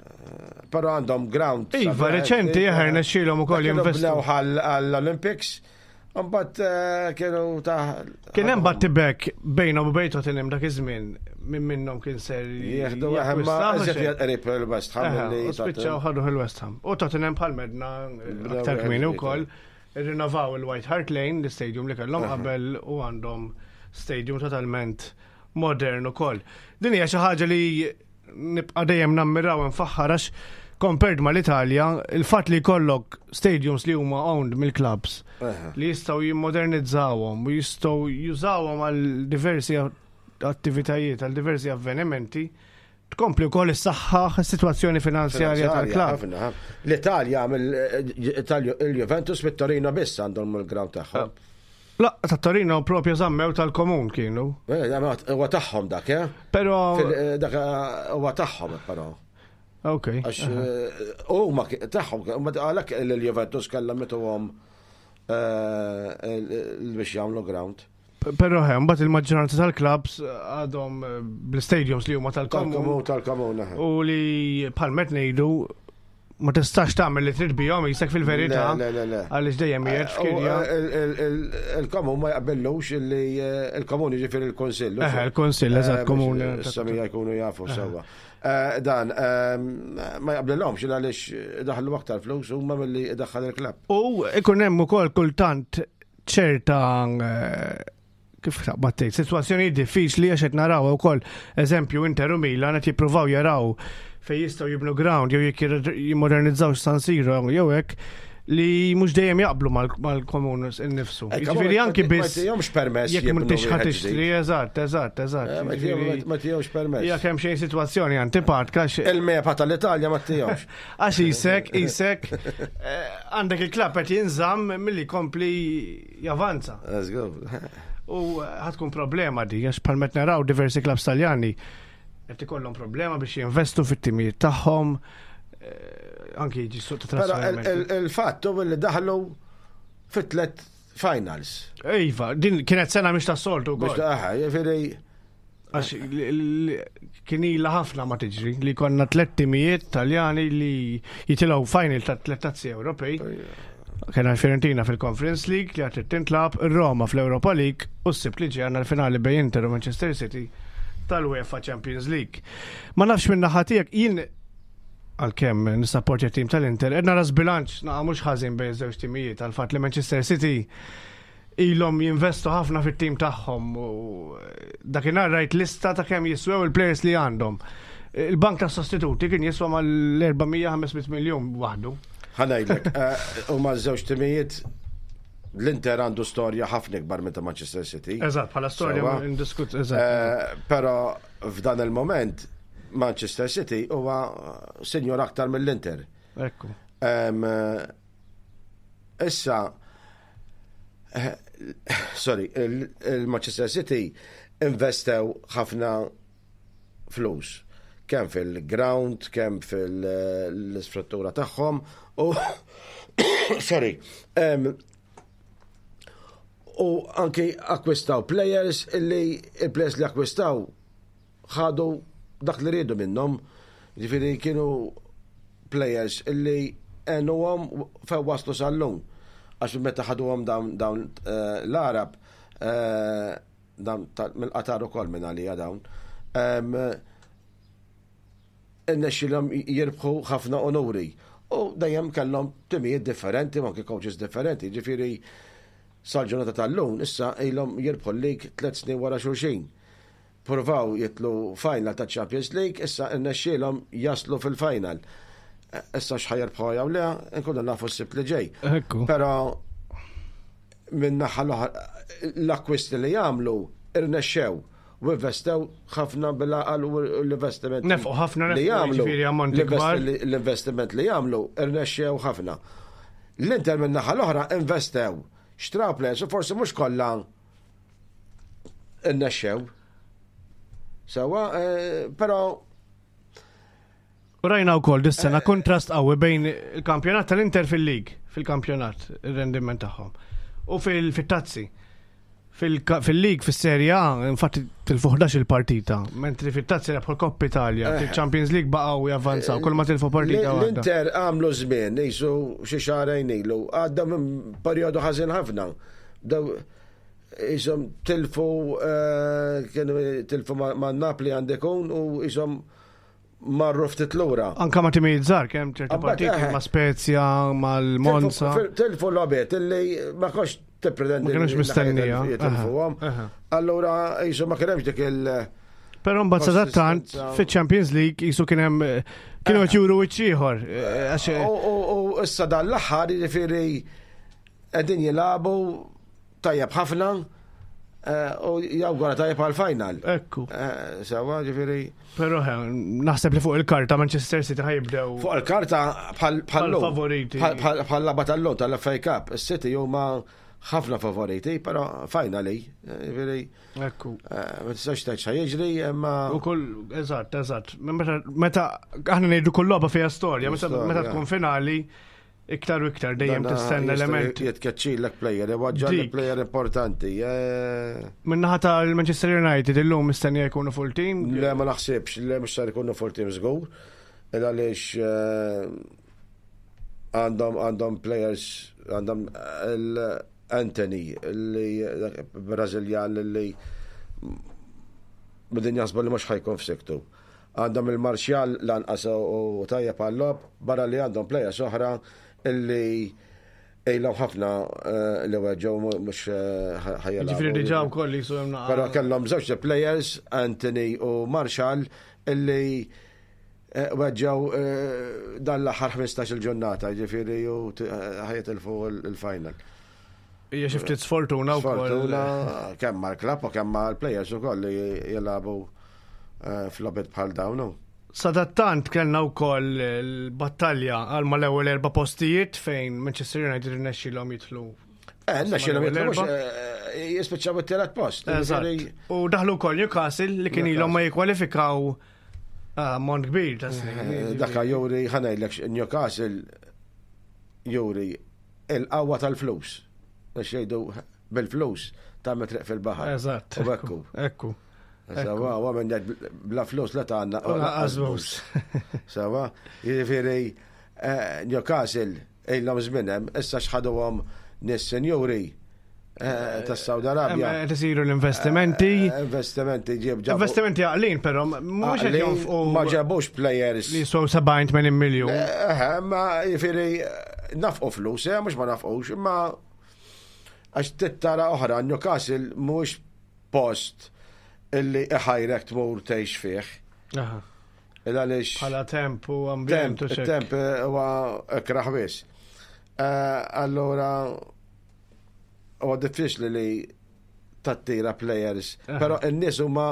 [SPEAKER 4] Eh, Però għandhom ground.
[SPEAKER 3] Iva,
[SPEAKER 4] sabiħ,
[SPEAKER 3] reċenti,
[SPEAKER 4] eh,
[SPEAKER 3] eħer, nexxielhom ukoll
[SPEAKER 4] kienu
[SPEAKER 3] jinvestu.
[SPEAKER 4] bnew għall-Olympics, mbagħad eh, kienu ta'
[SPEAKER 3] Kien hemm battibek bejnhom u bejn Tottenham dak iż-żmien minn minnhom kien ser
[SPEAKER 4] Jieħdu eħe, ma
[SPEAKER 3] jakkwistaw,
[SPEAKER 4] eżiet
[SPEAKER 3] xejn.
[SPEAKER 4] qrib il-West Ham
[SPEAKER 3] Eħe,
[SPEAKER 4] li
[SPEAKER 3] U spiċċaw ħadu il-West Ham. U Tottenham bħal medna
[SPEAKER 4] Bdew
[SPEAKER 3] aktar
[SPEAKER 4] wieħed
[SPEAKER 3] kmieni
[SPEAKER 4] ġdid,
[SPEAKER 3] wkoll irrinnovaw il-White Hart Lane, l-istadium li kellhom qabel u għandhom stadium totalment modern ukoll. Din hija xi ħaġa li nibqa' dejjem nammiraw nfaħħar għax compared mal-Italja, il-fatt li jkollok stadiums li huma owned mill-clubs
[SPEAKER 4] Eħe.
[SPEAKER 3] li jistgħu jimmodernizzawhom u jistgħu jużawhom għal diversi attivitajiet, għal diversi avvenimenti, tkompli wkoll is-saħħaħ is-sitwazzjoni finanzjarja tal-klabb.
[SPEAKER 4] ħafna, ħafna. L-Italja mill il-Juventus mit-Torino biss għandhom il-ground tagħhom.
[SPEAKER 3] La, ta' Torino propju żammew tal-komun kienu.
[SPEAKER 4] Eh, Huwa tagħhom dak, eh?
[SPEAKER 3] Però
[SPEAKER 4] Fil- Dak eh, huwa tagħhom però.
[SPEAKER 3] ok.
[SPEAKER 4] Għax eh, huma tagħhom, huma għalhekk il-Juventus kellhom mituhom eh, biex jagħmlu ground.
[SPEAKER 3] Però hemm mbagħad il-maġġoranza tal-klabbs għadhom eh, bl-stadiums li huma tal-komun
[SPEAKER 4] Tal-komun, tal-komun. eh.
[SPEAKER 3] u li bħal met ngħidu ma tistax tagħmel li trid bihom jisek fil-verità.
[SPEAKER 4] Le, le, le, le.
[SPEAKER 3] Għaliex dejjem qiegħed f'kirja.
[SPEAKER 4] U, eh, il- il- Il-komun ma jaqbellux illi eh, il-komun jiġifieri il-konsill.
[SPEAKER 3] Eh, il-konsill, eżatt, komun.
[SPEAKER 4] Samija jkunu jafu sewwa. Eh, Dan, eh, ma jaqblilhomx il għaliex daħlu aktar flus huma milli daħħal il-klabb.
[SPEAKER 3] U ikun hemm ukoll kultant ċerta eh, kif taqbad tgħid, sitwazzjoni diffiċli għax qed naraw ukoll eżempju Inter u Milan qed jippruvaw jaraw fejn jistgħu jibnu ground jew jekk jimmodernizzaw San Siro jew hekk li mhux dejjem jaqblu mal- mal-komun innifsu. Jiġifieri anki biss
[SPEAKER 4] Eh, Ma tihomx permess.
[SPEAKER 3] jekk
[SPEAKER 4] jibnu
[SPEAKER 3] m'intix
[SPEAKER 4] wieħed
[SPEAKER 3] ħa tixtri,
[SPEAKER 4] ġdid.
[SPEAKER 3] eżatt, eżatt, eżatt.
[SPEAKER 4] Eh, ma
[SPEAKER 3] Jiġifieri,
[SPEAKER 4] tihom- Ma tihomx permess.
[SPEAKER 3] Jekk hemm xejn sitwazzjoni antipatka għax
[SPEAKER 4] Il-mepa tal-Italja ma tihomx.
[SPEAKER 3] Għax isek, isek, eh, għandek il-klabb qed jinżamm milli kompli javanza.
[SPEAKER 4] Let's go.
[SPEAKER 3] U eh, ħatkun problema di, għax bħal met naraw diversi klabbs taljani qed ikollhom problema biex jinvestu fit-timijiet tagħhom, eh, anki jiġi suq ta'
[SPEAKER 4] Però il-
[SPEAKER 3] trasferimenti.
[SPEAKER 4] il- il-fatt hu li daħlu fit-tlet finals.
[SPEAKER 3] Iva, din kienet sena mhix tas-soltu
[SPEAKER 4] Biex
[SPEAKER 3] wkoll.
[SPEAKER 4] taħħa, jiġifieri
[SPEAKER 3] Għax li- li- kien ilha ħafna ma tiġri li konna tliet timijiet taljani li jitilgħu final ta' tliet tazzi Ewropej. Kena l-Fiorentina fil-Conference League li għatrit tintlab, Roma fl-Europa League u s-sibt li ġej għandna l-finali bejn Inter u Manchester City tal-UEFA Champions League. Ma nafx minn naħa tiegħek jien għalkemm nissapportja tim tal-Inter, qed nara żbilanċ naqa' mhux ħażin bejn żewġ timijiet għal fatt li Manchester City ilhom jinvestu ħafna fit-tim tagħhom u dakinhar rajt lista ta' kemm jiswew il-players li għandhom. Il-bank tas sostituti kien jiswa mal-400-500 miljun waħdu.
[SPEAKER 4] ħanajdlek, eh, huma żewġ timijiet L-Inter għandu storja ħafna ikbar minn ta' Manchester City.
[SPEAKER 3] Eżatt, bħala storja
[SPEAKER 4] Sewwa.
[SPEAKER 3] indiskut, eżatt.
[SPEAKER 4] Però f'dan il-moment Manchester City huwa sinjor aktar mill-Inter.
[SPEAKER 3] Ekku.
[SPEAKER 4] Issa, sorry, il-Manchester City investew ħafna flus, kemm fil-ground, kemm fil-istruttura tagħhom u sorry, u anki akkwistaw players illi il-players li akkwistaw ħadu dak li riedu minnhom, ġifieri kienu players illi għenuhom fejn waslu sal-lum. Għax meta ħaduhom dawn l-Arab, dawn mill-Qatar ukoll minn għalija dawn, irnexxielhom jirbħu ħafna onuri. U dejjem kellhom timijiet differenti, u anke coaches differenti, ġifieri sal-ġurnata tal-lum issa ilhom jirbħu l-league 3 snin wara xulxin. Provaw jitlu final ta' Champions League, issa irnexxielhom jaslu fil-final. Issa x'ħa jirbħu jew le, nkunu nafu s-Sibt li ġej. Però minn naħa l-oħra, l-akkwisti li jagħmlu irnexxew u investew ħafna bil-għaqal u l-investiment
[SPEAKER 3] Nefqu ħafna,
[SPEAKER 4] li
[SPEAKER 3] nefqu,
[SPEAKER 4] jagħmlu,
[SPEAKER 3] jiġifieri ammonti kbar.
[SPEAKER 4] l-investiment li jagħmlu irnexxew ħafna. L-Inter minn naħa l-oħra investew, xtraw players u forsi mhux kollha irnexxew. Sewwa, però
[SPEAKER 3] U rajna wkoll dis-sena kontrast qawwi bejn il-kampjonat tal-Inter fil-lig, fil-kampjonat, ir-rendiment tagħhom. U fil-tazzi. Fil-lig, fis-Serie A, infatti tilfu 11 il-partita, mentri fit-tazzi rebħu l-Coppa Italia, fil-Champions League baqgħu javvanzaw, kull ma tilfu partita waħda.
[SPEAKER 4] L-Inter għamlu żmien, jisu xi xahrejn ilu, għadda minn perjodu ħażin ħafna. Daw jisom tilfu kienu tilfu ma' Napli għandekun u jisom marru ftit lura.
[SPEAKER 3] Anka ma' timijiet żgħar, kemm ċerti
[SPEAKER 4] Abba,
[SPEAKER 3] partiti ma' Spezia, mal-Monza.
[SPEAKER 4] Tilfu logħbiet illi ma kontx tippretendi
[SPEAKER 3] Ma kienux
[SPEAKER 4] li
[SPEAKER 3] mistennija.
[SPEAKER 4] jitilfuhom. Allura jisu ma kienx dik il-
[SPEAKER 3] Però mbagħad sadattant
[SPEAKER 4] Konsistenza.
[SPEAKER 3] fiċ-Champions League jisu kien hemm, kienu qed juru wiċċ ieħor, għax
[SPEAKER 4] U issa dan l-aħħar jiġifieri qegħdin jilagħbu tajjeb ħafna u jawgura tajjeb għal-final.
[SPEAKER 3] Ekku.
[SPEAKER 4] Sewa, ġifieri.
[SPEAKER 3] Però naħseb li fuq il-karta Manchester City ħajibdew.
[SPEAKER 4] Fuq il-karta bħal
[SPEAKER 3] Bħal
[SPEAKER 4] lum.
[SPEAKER 3] favoriti.
[SPEAKER 4] Bħal lagħba tal-lum tal-FA Cup. Is-City huma ħafna favoriti, però finally, ġifieri.
[SPEAKER 3] Ekku.
[SPEAKER 4] Ma tistax tgħid x'ħa jiġri, imma
[SPEAKER 3] U kull, eżatt, eżatt. Meta aħna ngħidu kull logħba fiha storja,
[SPEAKER 4] Storja.
[SPEAKER 3] meta tkun finali, iktar u iktar dejjem
[SPEAKER 4] Dana
[SPEAKER 3] tistenna
[SPEAKER 4] jista'
[SPEAKER 3] element.
[SPEAKER 4] jitkeċċilek player, iwaġġa
[SPEAKER 3] Dik.
[SPEAKER 4] player importanti.
[SPEAKER 3] Min-naħa tal-Manchester United illum mistennija jkunu full team?
[SPEAKER 4] Le, ma naħsibx, le mhux ser ikunu full team żgur. Il għaliex għandhom players, għandhom il-Anthony, li Brażiljan li bidin jaħsbu li mhux ħa jkun f'siktu. Għandhom il-Martial lanqas u tajjeb għall-logħob, barra li għandhom players oħra illi ilhom ħafna li weġġgħu mhux ħa jilagħbu.
[SPEAKER 3] Ġifieri diġà wkoll li jisu hemm naqa.
[SPEAKER 4] Però kellhom żewġ players, Anthony u Martial, illi weġġgħu dan l-aħħar 15-il ġurnata, ġifieri u ħa jitilfu il-final.
[SPEAKER 3] Hija xi ftit sfortuna wkoll.
[SPEAKER 4] Sfortuna kemm mal-klabb u kemm mal-players ukoll li jilagħbu f'logħbiet bħal dawn.
[SPEAKER 3] Sadattant kellna wkoll l-battalja għal mal-ewwel 4 postijiet fejn Manchester United irnexxielhom jidħlu.
[SPEAKER 4] Rnexxielhom
[SPEAKER 3] Mal-ewwel
[SPEAKER 4] jidħlu mhux,
[SPEAKER 3] erba'.
[SPEAKER 4] jispiċċaw it-tielet post.
[SPEAKER 3] Eżatt.
[SPEAKER 4] Ġifieri
[SPEAKER 3] U daħlu wkoll Newcastle li kien ilhom ma jikkwalifikaw mont kbir ta' snin.
[SPEAKER 4] Daka juri, ħa ngħidlek, Newcastle juri il-qawwa tal-flus. Għax jgħidu bil-flus ta' triq fil-baħar.
[SPEAKER 3] Eżatt.
[SPEAKER 4] U ekku.
[SPEAKER 3] Ekku.
[SPEAKER 4] Sewa, u għamil ngħid bla flus la ta' għandna.
[SPEAKER 3] U lanqas bus.
[SPEAKER 4] Sewa, jiġifieri Newcastle ilhom żmien hemm, issa x'ħaduhom nies senjuri tas-Saudi Arabja.
[SPEAKER 3] Hemm qed isiru l-investimenti.
[SPEAKER 4] Investimenti ġib ġabu.
[SPEAKER 3] Investimenti għaqlin, però mhux qed
[SPEAKER 4] Għaqlin,
[SPEAKER 3] jonfqu
[SPEAKER 4] ma ġabux players.
[SPEAKER 3] Li jiswew 70-80 miljun.
[SPEAKER 4] Ma jiġifieri nafqu flus, mhux ma nafqux, imma għax tittara oħra, Newcastle mhux post illi iħajrek tmur tgħix fih. Il għaliex
[SPEAKER 3] Bħala temp u ambjent u xek.
[SPEAKER 4] Temp huwa ikraħ biss. Allura Huwa diffiċli li tattira players, però n-nies huma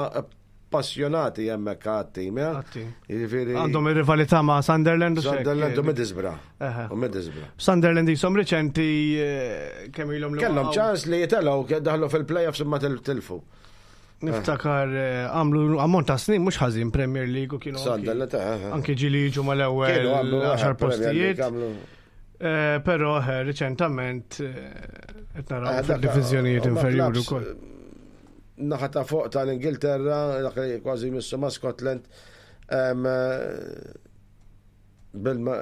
[SPEAKER 4] passjonati hemmhekk għat-tim, ja?
[SPEAKER 3] Għat-tim.
[SPEAKER 4] Jiġifieri
[SPEAKER 3] Għandhom ir-rivalità ma' Sunderland u xek.
[SPEAKER 4] Sunderland u Middlesbrough.
[SPEAKER 3] Eħe.
[SPEAKER 4] U Middlesbrough.
[SPEAKER 3] Sunderland jisom riċenti eh, kemm ilhom li
[SPEAKER 4] Kellhom
[SPEAKER 3] waqgħu.
[SPEAKER 4] ċans li jitelgħu daħlu fil-playoffs imma tilfu.
[SPEAKER 3] Niftakar eh, għamlu ammont ta' snin mhux ħażin Premier League u kienu anki-
[SPEAKER 4] Sunderland eh,
[SPEAKER 3] anki ġili jiġu mal-ewwel
[SPEAKER 4] Kienu għamlu
[SPEAKER 3] 10
[SPEAKER 4] Premier League,
[SPEAKER 3] postijiet.
[SPEAKER 4] għamlu-
[SPEAKER 3] Eh, Però eh, riċentament eh, qed naraw
[SPEAKER 4] Eh, dak-
[SPEAKER 3] fil-diviżjonijiet
[SPEAKER 4] huma
[SPEAKER 3] inferjuri
[SPEAKER 4] clubs,
[SPEAKER 3] wkoll.
[SPEAKER 4] Naħa ta' fuq tal-Ingilterra, dak li kważi missu ma' Scotland, em, eh, bil-ma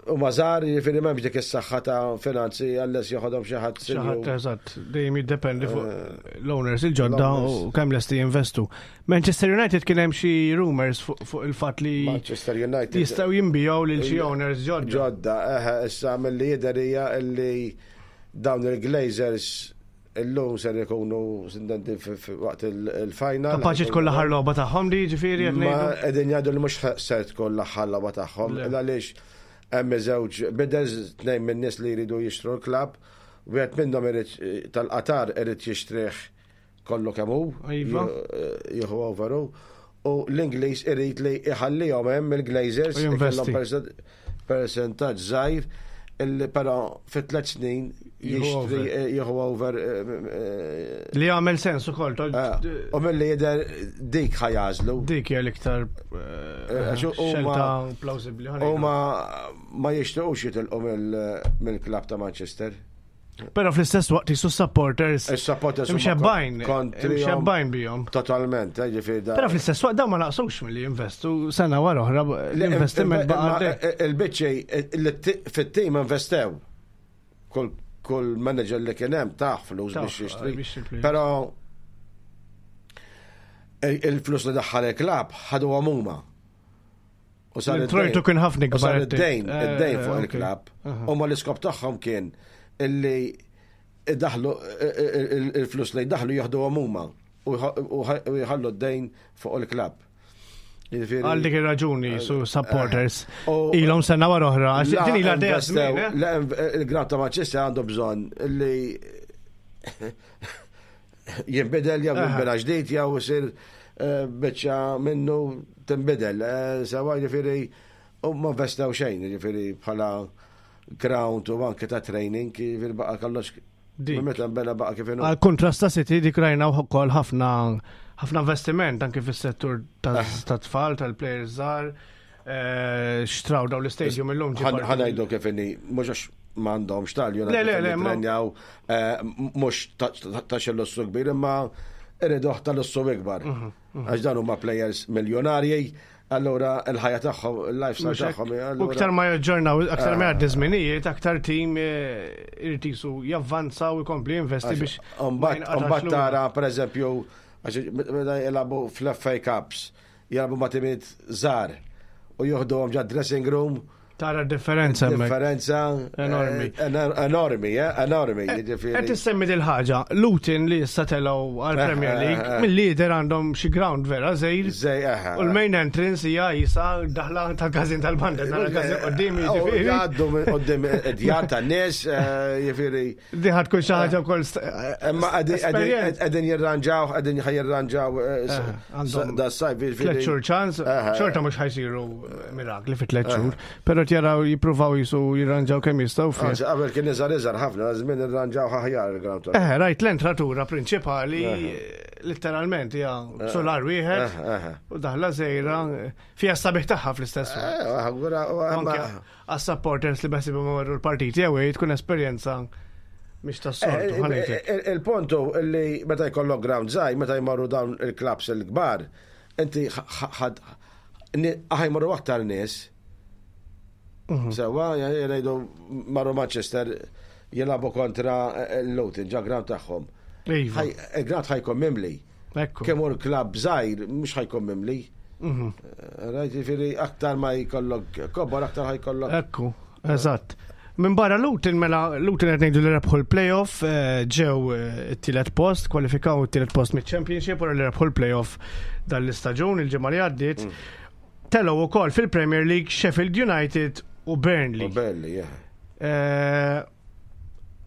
[SPEAKER 4] u mażar, jiġifieri m'hemmx dik is-saħħa ta' finanzi għalles joħodhom xi ħadd
[SPEAKER 3] Xi ħadd
[SPEAKER 4] sinjur.
[SPEAKER 3] eżatt, dejjem jiddependi fuq l-owners il-ġodda
[SPEAKER 4] Eh, l-owners.
[SPEAKER 3] u kemm lesti jinvestu. Manchester United kien hemm xi rumors fuq fuq il-fatt li
[SPEAKER 4] Manchester United.
[SPEAKER 3] jistgħu jinbijaw lil xi owners ġodda.
[SPEAKER 4] Ġodda, eħe, issa mill-li jidher hija illi dawn il-Glazers illum ser ikunu sindenti waqt il-final.
[SPEAKER 3] Kapaċi tkun l-aħħar logħba tagħhom li jiġifieri qed
[SPEAKER 4] Ma
[SPEAKER 3] ngħidu.
[SPEAKER 4] qegħdin jgħidu li mhux ser tkun l-aħħar logħba tagħhom,
[SPEAKER 3] Le.
[SPEAKER 4] għaliex hemm żewġ bidders tnejn min-nies li jridu jixtru l-klabb, wieħed minnhom irid tal-Qatar irid jixtrih kollu kemm hu,
[SPEAKER 3] Iva.
[SPEAKER 4] jieħu over hu, u l-Ingliż irid li iħallihom hemm il-Glazers
[SPEAKER 3] U jinvesti.
[SPEAKER 4] ikollhom percentaġġ żgħir illi però fi tliet snin
[SPEAKER 3] Jieħu
[SPEAKER 4] jixtri
[SPEAKER 3] over.
[SPEAKER 4] jieħu over eh,
[SPEAKER 3] Li għamel sens ukoll. to-
[SPEAKER 4] eh, u mill-li jidher dik ħajażlu.
[SPEAKER 3] Dik hija l-iktar eh,
[SPEAKER 4] Għax huma-
[SPEAKER 3] xelta plawsibbli. ħa
[SPEAKER 4] U
[SPEAKER 3] ngħidu.
[SPEAKER 4] ma ma jixtiequx jitilqu mill-klab ta' Manchester.
[SPEAKER 3] Però fl-istess waqt jisu supporters
[SPEAKER 4] Is-supporters huma
[SPEAKER 3] imxebbajn,
[SPEAKER 4] kontrihom
[SPEAKER 3] imxebbajn bihom.
[SPEAKER 4] Totalment, eh, ġifieri da.
[SPEAKER 3] Però fl-istess waqt dawn ma naqsux milli jinvestu sena wara oħra l-investiment baqa'
[SPEAKER 4] Imma
[SPEAKER 3] għaddej.
[SPEAKER 4] Il-biċċi li fit-tim investew. Kull kull manager li kien hemm taħ flus
[SPEAKER 3] Tah,
[SPEAKER 4] biex jixtri.
[SPEAKER 3] biex jixtri.
[SPEAKER 4] Però il- il-flus li daħħal il-klab ħadu huma. U sar
[SPEAKER 3] L-introjtu
[SPEAKER 4] id-dejn.
[SPEAKER 3] kien ħafna
[SPEAKER 4] U sar
[SPEAKER 3] ikbar.
[SPEAKER 4] id-dejn,
[SPEAKER 3] Eh,
[SPEAKER 4] id-dejn fuq
[SPEAKER 3] ok.
[SPEAKER 4] il-klab.
[SPEAKER 3] Aha.
[SPEAKER 4] U ma l-iskop tagħhom kien illi daħlu il-flus li daħlu jaħdu huma u jħallu d-dejn fuq il-klab. Jiġifieri-
[SPEAKER 3] Għal dik ir-raġuni su supporters
[SPEAKER 4] Eh, U-
[SPEAKER 3] ilhom sena wara oħra. Għax
[SPEAKER 4] La
[SPEAKER 3] Din ilha għaddejja
[SPEAKER 4] investew-
[SPEAKER 3] żmien, eh?
[SPEAKER 4] la Il-ground ta' Manchester għandu bżonn li jinbidel jew
[SPEAKER 3] Aha.
[SPEAKER 4] jinbena ġdid jew isir eh, biċċa minnu tinbidel. Eh, Sewa jiġifieri u ma investew xejn, jiġifieri bħala ground u anke ta' training, jiġifieri baqa' kollox
[SPEAKER 3] Dik.
[SPEAKER 4] minn meta nbena baqa' kif inhu.
[SPEAKER 3] Għal kontrast ta' City dik rajna wkoll ħafna ħafna investiment anke fis-settur
[SPEAKER 4] Eh.
[SPEAKER 3] ta' tfal tal-players żgħar. eh, Xtraw daw l-istadium illum ġie parti-
[SPEAKER 4] Ħanajdu kif inni, mhux għax m'għandhomx tal
[SPEAKER 3] Le, le, le, ma-
[SPEAKER 4] trenjaw mhux ta' xi lussu kbir, imma iriduh ta' lussu ikbar.
[SPEAKER 3] Mhm,
[SPEAKER 4] Għax dan huma players miljonarji, allura il-ħajja tagħhom, il-lifestyle
[SPEAKER 3] Mhux hekk.
[SPEAKER 4] tagħhom.
[SPEAKER 3] U
[SPEAKER 4] allura-
[SPEAKER 3] aktar ma jaġġornaw, aktar ma jgħaddi żminijiet, aktar tim eh, irid jisu javvanza u jkompli jinvesti biex. ma
[SPEAKER 4] Umbat,
[SPEAKER 3] jinqatax
[SPEAKER 4] umbat
[SPEAKER 3] lura.
[SPEAKER 4] tara, per eżempju, għax meta jilagħbu fl-FA Cups, jilagħbu ma' timiet żgħar u joħduhom ġa dressing room,
[SPEAKER 3] Tara differenza hemmhekk.
[SPEAKER 4] differenza
[SPEAKER 3] Enormi.
[SPEAKER 4] eh, enor- Enormi, eh, enormi. jiġifieri.
[SPEAKER 3] Qed issemmi dil ħaġa Luton li issa telgħu għall-Premier
[SPEAKER 4] Eh, eh,
[SPEAKER 3] League,
[SPEAKER 4] eh.
[SPEAKER 3] mill-lider għandhom xi ground vera żejr.
[SPEAKER 4] Zej, eħe.
[SPEAKER 3] U l-main entrance hija jisa daħla tal-każin tal-banda, nara każin qudiem
[SPEAKER 4] U
[SPEAKER 3] jiġifieri.
[SPEAKER 4] Jgħaddu minn qoddim id-djar tan-nies, eh, jiġifieri.
[SPEAKER 3] Di ħad tkun xi ħaġa wkoll st-
[SPEAKER 4] Imma
[SPEAKER 3] esperjenza.
[SPEAKER 4] qegħdin jirranġaw, qegħdin ħajirranġaw eh, s-
[SPEAKER 3] għandhom
[SPEAKER 4] da sajf jiġifieri.
[SPEAKER 3] Tliet xhur ċans,
[SPEAKER 4] Eh,
[SPEAKER 3] xorta mhux ħajsiru mirakli fi tliet xhur, però jaraw jippruvaw jisu jirranġaw kemm jistgħu fih.
[SPEAKER 4] Anzi, Qabel kien iżgħar iżgħar ħafna, żmien irranġaw aħjar il-ground. tal-
[SPEAKER 3] Eh, rajt l-entratura prinċipali letteralment hija solar wieħed
[SPEAKER 4] Eh, eh.
[SPEAKER 3] u daħla żejra fija sabiħ tagħha fl-istess waqt.
[SPEAKER 4] Eh, allura, u-
[SPEAKER 3] Anke
[SPEAKER 4] ma-
[SPEAKER 3] għas-supporters li besib imorru l-partiti jew tkun esperjenza mhix tas-soltu
[SPEAKER 4] Eh,
[SPEAKER 3] ħanejtek.
[SPEAKER 4] eh, Il-puntu li meta jkollok ground żgħir, meta jmorru dawn il-clubs il-kbar, inti ħad ħajmorru aktar nies. Sewa, jgħidu marru Manchester jilagħbu kontra l-Luton, ġa ground tagħhom.
[SPEAKER 3] Iva,
[SPEAKER 4] Il-ground ħajkun mimli.
[SPEAKER 3] ekku.
[SPEAKER 4] Kemm hu l-klabb żgħir mhux ħajkun mimli. Rajt jiġifieri aktar ma jkollok kobor aktar ħajkollok.
[SPEAKER 3] Ekku, eżatt. Minn barra Luton, mela Luton qed ngħidu li rebħu l-playoff, eh, ġew eh, it-tielet post, kwalifikaw it-tielet post miċ-Championship wara li rebħu l-playoff dan l-istaġun il-ġimgħa li għaddiet. Telgħu wkoll fil-Premier League Sheffield United u Burnley.
[SPEAKER 4] U belli, yeah.
[SPEAKER 3] Eh,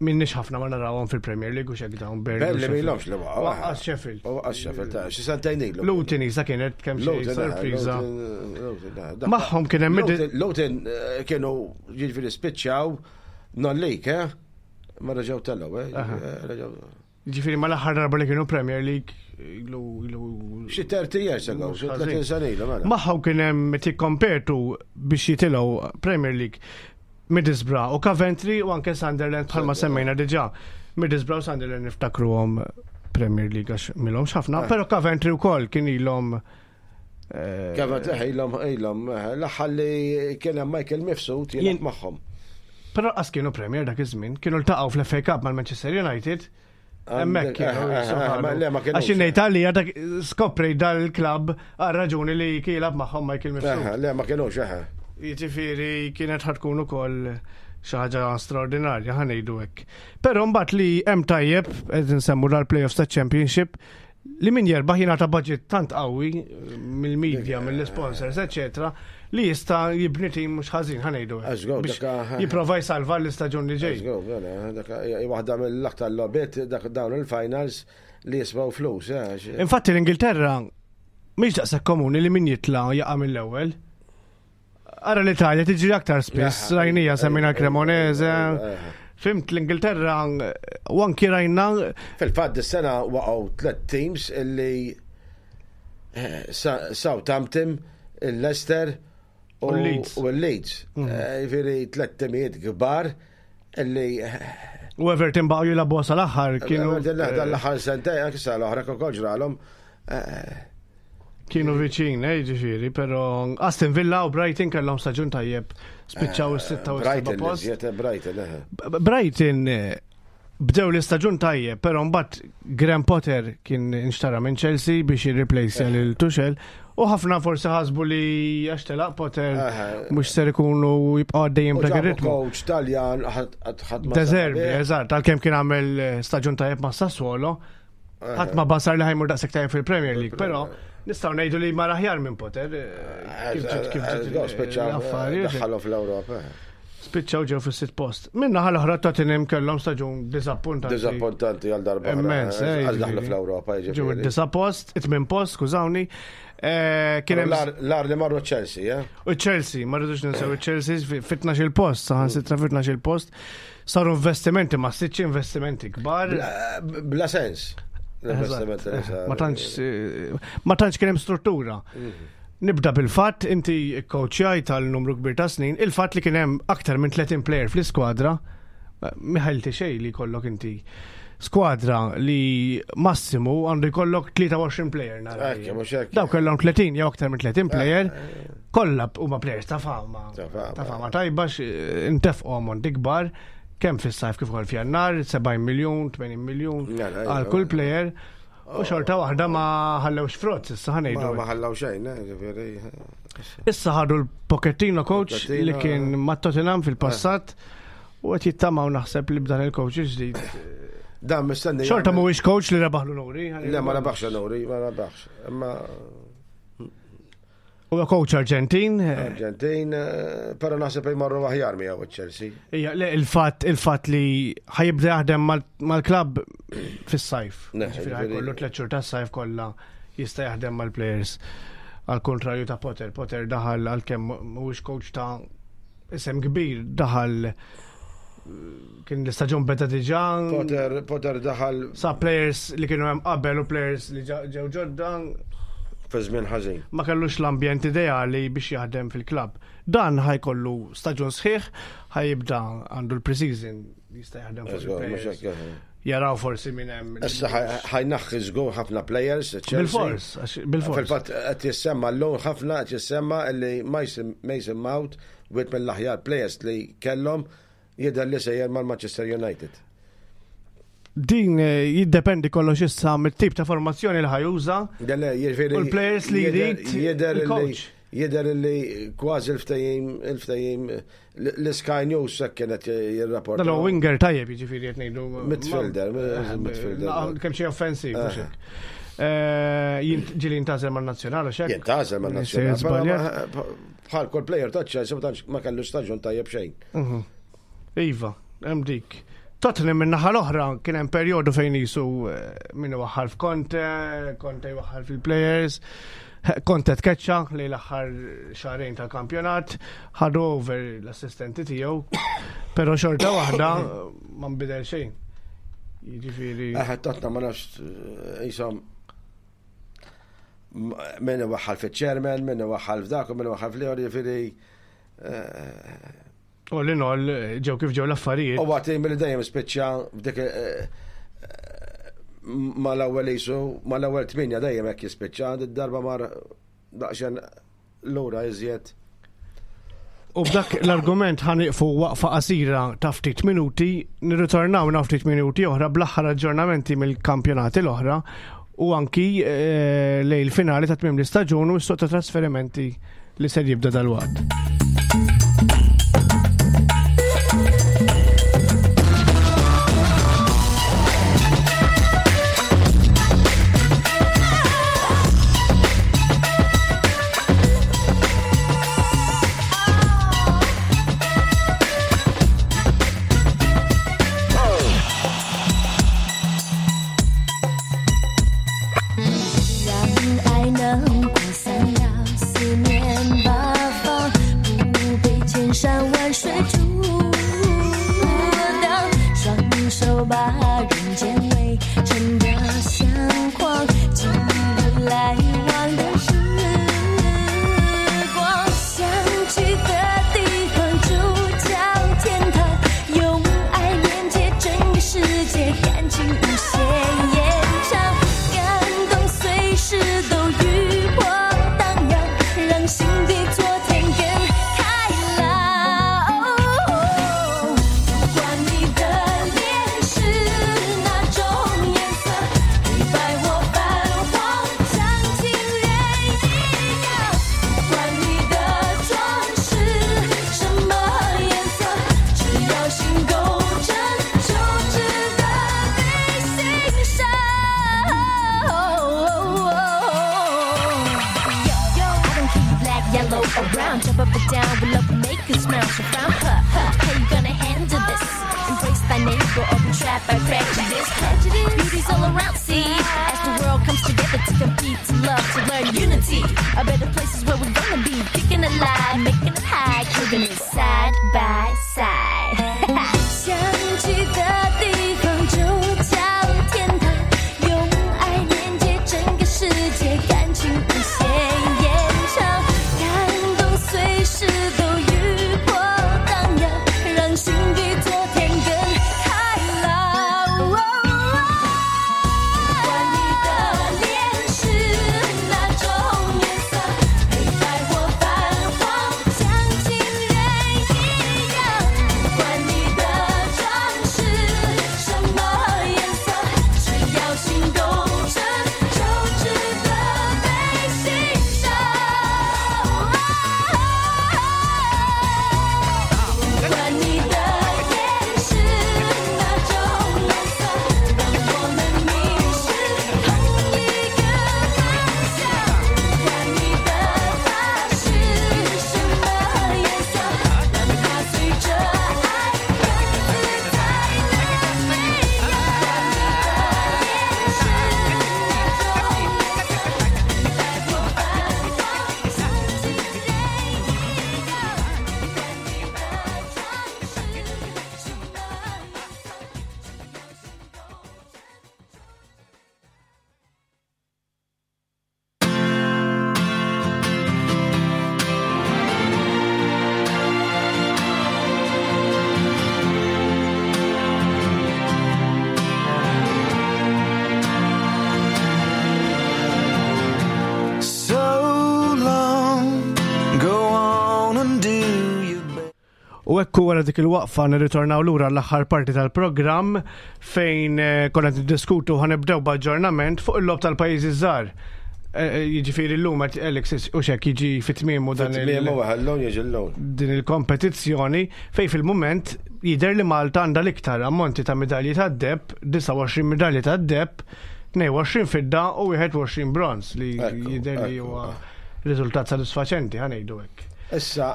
[SPEAKER 3] Minnix ħafna ma narawhom fil-Premier League u xek dawn
[SPEAKER 4] Burnley. Burnley milhomx li waqgħu.
[SPEAKER 3] Waqqas Sheffield.
[SPEAKER 4] Waqqas Sheffield, ta' xi sentejn ilu.
[SPEAKER 3] Luton isa kienet kemm xi eh, sorpriża. Eh, Magħhom kien hemm
[SPEAKER 4] Luton eh, kienu jiġifieri spiċċaw non-league, eh? Ma reġgħu telgħu, eh?
[SPEAKER 3] Ġifieri ma l-aħħar darba li kienu Premier League ilu ilu.
[SPEAKER 4] Xi 30 years ago, xi 30 sena ilu
[SPEAKER 3] mela. Magħhom kien hemm tikkompetu biex jitilgħu Premier League Middlesbrough u Coventry u anke Sunderland bħalma semmejna diġà. Middlesbrough u Sunderland niftakruhom Premier League għax milhomx ħafna, eh. però Coventry wkoll kien ilhom
[SPEAKER 4] eh, Coventry eh, ilhom ilhom l-aħħar li kien hemm Michael Mifsud jien magħhom.
[SPEAKER 3] Però qas kienu Premier dak iż-żmien, kienu ltaqgħu fl-FA Cup mal-Manchester United. Hemmhekk kienu. Għax ngħid għalija dak skopri dal-klabb għal raġuni li kielab magħhom Michael Mifsud.
[SPEAKER 4] Le ma kienux eħe.
[SPEAKER 3] Jiġifieri kienet ħad tkun ukoll xi ħaġa straordinarja ħa ngħidu hekk. Però mbagħad li hemm tajjeb qed insemmu dal-playoffs taċ-Championship li min jerbaħ jingħata budget tant qawwi mill-media, mill-sponsors, eċetera, li jista' jibni tim mhux ħażin ħa ngħidu. Jipprova jsalva l-istaġun li ġej.
[SPEAKER 4] Mela, waħda mill-aktar logħbiet dak dawn il-finals li jismaw flus. Eh,
[SPEAKER 3] Infatti l-Ingilterra mhix daqshekk komuni li min jitla' jaqa' mill-ewwel. Ara l-Italja tiġri aktar spiss, rajnija semmina Cremonese. Fimt l-Ingilterra u anki rajna.
[SPEAKER 4] Fil-fatt dis-sena waqgħu tliet teams illi eh, Southampton, il-Leicester u l-Leeds. Mhm. Eh, jiġifieri tliet timijiet kbar illi eh,
[SPEAKER 3] U Everton baqgħu jilagħbu sal-aħħar
[SPEAKER 4] kienu. Everton l-aħħar sentejn anke sal-oħra kol ġralhom.
[SPEAKER 3] Kienu viċin, eh, ġifieri, però Aston Villa u Brighton kellhom staġun tajjeb spiċċaw is-sitta u
[SPEAKER 4] s-seba post. Brighton, eh.
[SPEAKER 3] Brighton eh, bdew l-istaġun tajjeb, però mbagħad Graham Potter kien inxtara minn Chelsea biex jirreplace eh. lil Tuchel u ħafna forsi ħasbu li għax telaq Potter mhux ser ikunu jibqgħu għaddejjin b'dak ir-ritmu.
[SPEAKER 4] Coach Taljan ħadd
[SPEAKER 3] ma. De Zerbi, eżatt, għalkemm kien għamel staġun tajjeb ma' Sassuolo. Ħadd ma basar li ħajmur daqshekk tajjeb fil-Premier League, però nistgħu ngħidu li mar aħjar minn Potter. Eh,
[SPEAKER 4] kif ġiet kif ġiet eh, eh, l-affarijiet. Daħħalhom fl-Ewropa.
[SPEAKER 3] Spiċċaw ġew fis-sitt post. Minna ħal oħra Tottenham kellhom staġun diżappuntanti.
[SPEAKER 4] Diżappuntanti għal darba.
[SPEAKER 3] Immens,
[SPEAKER 4] għal daħlu fl-Ewropa.
[SPEAKER 3] Ġew id-disa post, it-tmien post, skużawni.
[SPEAKER 4] Kien hemm l-ar li marru Chelsea,
[SPEAKER 3] eh? U Chelsea, ma rridux ninsew Chelsea fit il-post, saħansitra fit il-post. Saru investimenti ma siċ investimenti kbar.
[SPEAKER 4] Bla sens.
[SPEAKER 3] Ma tantx ma tantx kien hemm struttura. Mhm. Nibda bil-fatt inti kowċjaj tal-numru kbir ta' snin, il-fatt li kien hemm aktar minn 30 player fl-iskwadra, miħalti xejn li jkollok inti skwadra li massimu għandu jkollok 23 player nara. Daw kellhom 30 jew aktar minn 30 player. Kollha huma players ta' fama. Ta' fama tajba intefqu ammonti kbar kemm fis-sajf kif ukoll f'Jannar, 70 miljun, 80 miljun għal kull player. U xorta waħda ma ħallewx frott, issa ħanejdu.
[SPEAKER 4] Ma ħallew xejn, eh, ġifieri.
[SPEAKER 3] Issa ħadu l-Pochettino coach li kien ma' Tottenham fil-passat u qed jittamaw naħseb li b'dan il-coach il-ġdid.
[SPEAKER 4] Dan mistenni.
[SPEAKER 3] Xorta mhuwiex coach li rebaħ l-onuri.
[SPEAKER 4] Le ma rebaħx l-onuri, ma rebaħx. Imma
[SPEAKER 3] Huwa coach Arġentin.
[SPEAKER 4] Arġentin, eh, però naħseb jmorru aħjar miegħu Chelsea.
[SPEAKER 3] Ija, le il-fatt il-fatt li ħajibda jaħdem mal-klabb fis-sajf. Ġifieri ħajkollu tliet xhur tas-sajf kollha jista' jaħdem mal-players. Għal kontrarju ta' Potter, Potter daħal għalkemm mhuwiex coach ta' isem kbir daħal kien l-istaġun beda diġà.
[SPEAKER 4] Potter, Potter daħal.
[SPEAKER 3] Sa players li kienu hemm qabel u players li ġew ġodda.
[SPEAKER 4] Fi żmien ħażin.
[SPEAKER 3] Ma kellux l-ambjent ideali biex jaħdem fil-klabb. Dan ħajkollu staġun sħiħ, ħajibda għandu l-preseason jista' jaħdem fuq il-players. Jaraw forsi minn hemm.
[SPEAKER 4] Issa ħajnaħħi żgur ħafna players.
[SPEAKER 3] Bil-fors, bil-fors.
[SPEAKER 4] Fil-fatt qed jissemma llum ħafna qed jissemma li Mason Mount Wieħed mill-aħjar players li kellhom jidher li sejjer mal-Manchester United.
[SPEAKER 3] Din eh, jiddependi kollox issa mit-tip ta' formazzjoni li ħajuża. U l-players li jrid
[SPEAKER 4] jidher li jidher li kważi l-ftehim il-ftehim l-Sky News hekk kienet jirrapporta.
[SPEAKER 3] Dan winger tajjeb jiġifieri qed ngħidu.
[SPEAKER 4] Midfielder, eh, midfielder.
[SPEAKER 3] Kemm xi offensiv. Eh. Eh, ġili jintażel man-nazzjonali xek.
[SPEAKER 4] Jintażel man-nazzjonali. Bħal kull player ta' Chelsea ma tantx ma kellu staġun tajjeb xejn.
[SPEAKER 3] Mhm. Iva, hemm dik. Tottenham min-naħa l-oħra kien hemm perjodu fejn jisu eh, min iwaħħal f'Conte, Conte jwaħħal fil-players, Conte tkeċċa li l-aħħar xahrejn tal-kampjonat, ħadu over l-assistenti tiegħu, però xorta waħda ma nbidel xejn. Jiġifieri.
[SPEAKER 4] Eħe Tottenham ma nafx eh, jisom min iwaħħal fiċ-chairman, min iwaħħal f'dak u min iwaħħal fl-ieħor, jiġifieri eh,
[SPEAKER 3] All in all, ġew kif ġew l-affarijiet.
[SPEAKER 4] U għati mill dejjem spiċċa f'dik eh, eh, mal-ewwel isu, mal-ewwel tminja dejjem hekk jispiċċa, darba mar daqsxejn lura iżjed.
[SPEAKER 3] U b'dak l-argument ħaniqfu waqfa qasira ta' ftit minuti, nirritornaw na ftit minuti oħra bl-aħħar aġġornamenti mill-kampjonati l-oħra u anki eh, lejl finali ta' tmiem l-istaġun u s-suq ta' trasferimenti li ser jibda dalwaqt.
[SPEAKER 5] 让爱能扩散到四面八方，不被千山万水阻挡。双手把人间围成的相框，记录来往的时光。想去的地方就叫天堂，用爱连接整个世界，感情无限延长，感动随时都余波荡漾，让心比昨天更开朗。不管你的脸是哪种颜色，黑白或泛黄，像情人一样。不管你的妆是什么颜色，只要心够真，就值得被欣赏。
[SPEAKER 6] Yo, yo, I don't care you black, yellow, or brown. Jump up and down, we love to make you smile. So frown, huh, huh. How you gonna handle this? Embrace thy neighbor or be trapped by prejudice. Prejudice, beauty's all around, see. As the world comes together to compete, to love, to learn unity. A better place is where we're gonna be. Kicking it live, making it high, living it side by side.
[SPEAKER 5] 想去的地方就叫天堂，用爱连接整个世界，感情无限延长，感动随时都余波荡漾，让心比昨天更开朗。不管你的脸是哪种颜色，黑白或泛黄，像情人一样。不管你的妆是什么颜色，只要心够真，就值得被欣赏。不管你的眼是哪种颜色，让我们迷失同一个方向。不管你的发是什么颜色，让它随着爱更自在的飞扬。
[SPEAKER 2] So long, go on and do your best.
[SPEAKER 3] U ekku wara dik il-waqfa nirritornaw lura l-aħħar parti tal-programm fejn eh, konna qed niddiskutu ħanibdew b'aġġornament fuq il-lob tal-pajjiżi żgħar. Eh, eh, Jiġifieri llum qed Alex u xek jiġi fit-tmiemu dan il-
[SPEAKER 4] Fit-tmiem u llum jiġi llum.
[SPEAKER 3] din il-kompetizzjoni fej fil-moment jider li Malta għandha l-iktar ammonti ta' medalji ta' deb, 29 medalji ta' deb, 22 fidda u 21 bronz li
[SPEAKER 4] Ekku,
[SPEAKER 3] jider li
[SPEAKER 4] ekku.
[SPEAKER 3] huwa riżultat sodisfaċenti ħanejdu hekk.
[SPEAKER 4] Issa,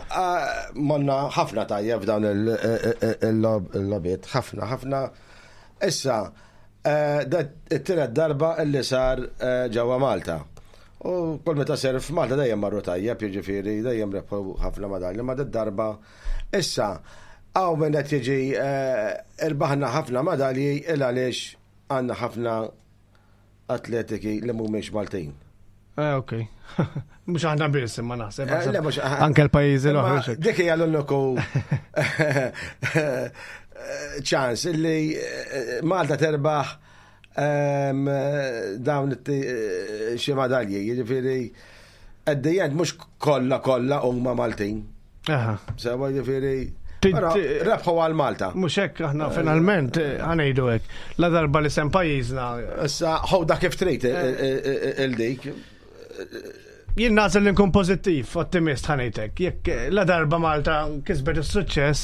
[SPEAKER 4] monna ħafna tajjeb f'dawn il-logħbiet, ħafna, ħafna. Issa, it-tielet darba illi sar ġewwa Malta. U kull meta ser f'Malta dejjem marru tajjeb, jiġifieri dejjem rebħu ħafna madalji, ma darba. Issa, hawn min qed jiġi irbaħna ħafna madalji il għaliex għandna ħafna atletiki li mhumiex Maltin.
[SPEAKER 3] Ok. Mhux aħna biss imma naħseb.
[SPEAKER 4] Le, mhux
[SPEAKER 3] Anke l-pajjiżi l-oħra.
[SPEAKER 4] Dik hija l-uniku ċans illi Malta terbaħ dawn xi madalji, jiġifieri at the end mhux kollha kollha huma Maltin. Sewa jiġifieri Però rebħu għal Malta.
[SPEAKER 3] Mhux hekk aħna finalment ħa ngħidu hekk. La darba li sem pajjiżna.
[SPEAKER 4] Issa ħoda kif trid il-dik.
[SPEAKER 3] Jien nagħżel li nkun pożittiv, ottimist ħa ngħidlek. Jekk la darba Malta kisbet is-suċċess,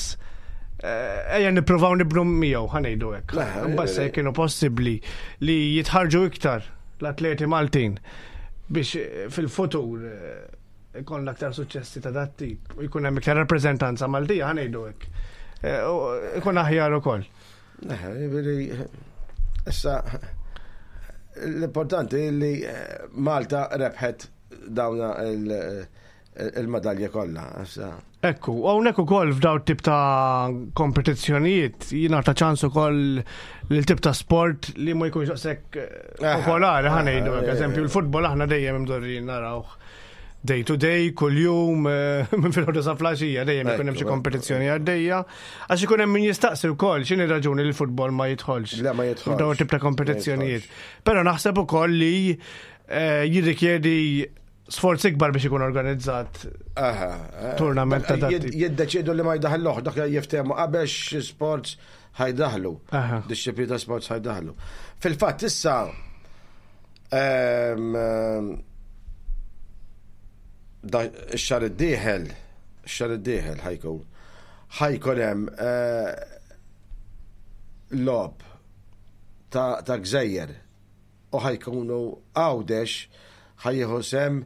[SPEAKER 3] ejja nippruvaw nibnu miegħu ħa ngħidu hekk. Mbagħad se kienu possibbli li jitħarġu iktar l-atleti Maltin biex fil-futur ikollna aktar suċċessi ta' dat tip u jkun hemm iktar rappreżentanza Maltija ħa ngħidu hekk. Ikun aħjar ukoll.
[SPEAKER 4] Issa l-importanti li Malta rebħet dawna il-madalja kollha.
[SPEAKER 3] Ekku, hawnhekk ukoll f'daw tip ta' kompetizzjonijiet jingħata ċans ukoll lil tip ta' sport li ma jkunx daqshekk popolari ħa ngħidu hekk. Eżempju, l-futbol aħna dejjem imdorrin narawh day to day, kull-jum, minn filgħodu sa filgħaxija, dejjem ikun hemm xi kompetizzjoni għaddejja. Għax ikun hemm min jistaqsi wkoll x'inhi raġuni li l-futbol ma jidħolx.
[SPEAKER 4] Le, ma jidħolx.
[SPEAKER 3] F'dawn tip ta' kompetizzjonijiet. Però naħseb ukoll li jirrikjedi sforz ikbar biex ikun organizzat tournament ta' dat tip.
[SPEAKER 4] Jiddeċidu li ma jdaħluh, dak jiftehmu qabel xi sports ħa jdaħlu. Disċiplini ta' sports ħa jdaħlu. Fil-fatt issa ix-xahar id-dieħel, ix-xahar id-dieħel ħajkun hemm logħob ta' gżejjer u ħajkunu Għawdex ħa jieħu sehem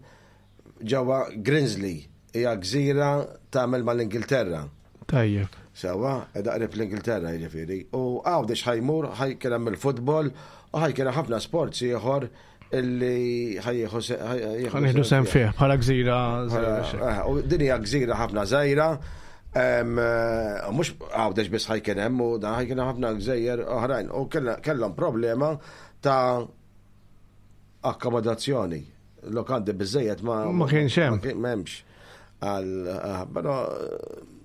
[SPEAKER 4] ġewwa Grimsby, hija gżira tagħmel mal-Ingilterra.
[SPEAKER 3] Tajjeb.
[SPEAKER 4] Sewa, qiegħda qrib l-Ingilterra jiġifieri. U Għawdex ħajmur, ħajkun hemm il-futbol u ħajkun hemm ħafna sports ieħor illi ħa jieħu
[SPEAKER 3] Ħa nieħdu sehem fih bħala gżira żgħira.
[SPEAKER 4] U din hija gżira ħafna żgħira. Mhux Għawdex biss ħajkun hemm u dan ħajkun hemm ħafna gżejjer oħrajn. U kellhom problema ta' akkomodazzjoni. Lokandi biżejjed ma
[SPEAKER 3] Ma kienx hemm.
[SPEAKER 4] M'hemmx. Għal, però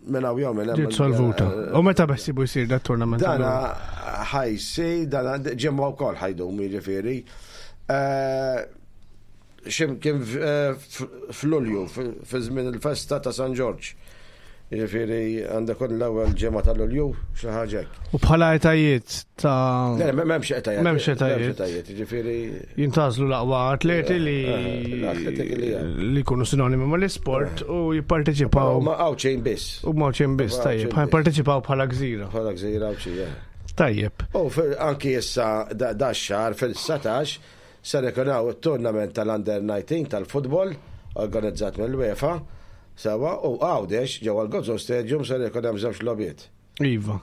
[SPEAKER 4] minn hawn jew minn hemm.
[SPEAKER 3] Ġiet solvuta. U meta beħsiebu jsir dat tournament?
[SPEAKER 4] Dana ħajsi, dana ġimgħa wkoll ħajdum jiġifieri. X'imkien f'Lulju, fi żmien il-festa ta' San Ġorġ. Jiġifieri għandek kun l-ewwel ġimgħa ta' Lulju, xi ħaġa hekk.
[SPEAKER 3] U bħala etajiet ta'
[SPEAKER 4] Le, m'hemmx etajiet.
[SPEAKER 3] M'hemmx etajiet.
[SPEAKER 4] M'hemmx etajiet, jiġifieri
[SPEAKER 3] Jintgħażlu l-aqwa atleti li
[SPEAKER 4] L-atleti li
[SPEAKER 3] li jkunu sinonimi mal-isport u jipparteċipaw.
[SPEAKER 4] Ma Għawdxin biss.
[SPEAKER 3] U Għawdxin biss, tajjeb.
[SPEAKER 4] Għawdxin biss.
[SPEAKER 3] Jipparteċipaw bħala gżira.
[SPEAKER 4] Bħala gżira Għawdxija.
[SPEAKER 3] Tajjeb.
[SPEAKER 4] U anki issa da xahar fil-19 ser ikun hawn it-tournament tal-Under 19 tal-futbol organizzat mill-UEFA. Sewa, u Għawdex ġewwa l-Gozo Stadium ser ikun hemm żewġ logħbiet.
[SPEAKER 3] Iva.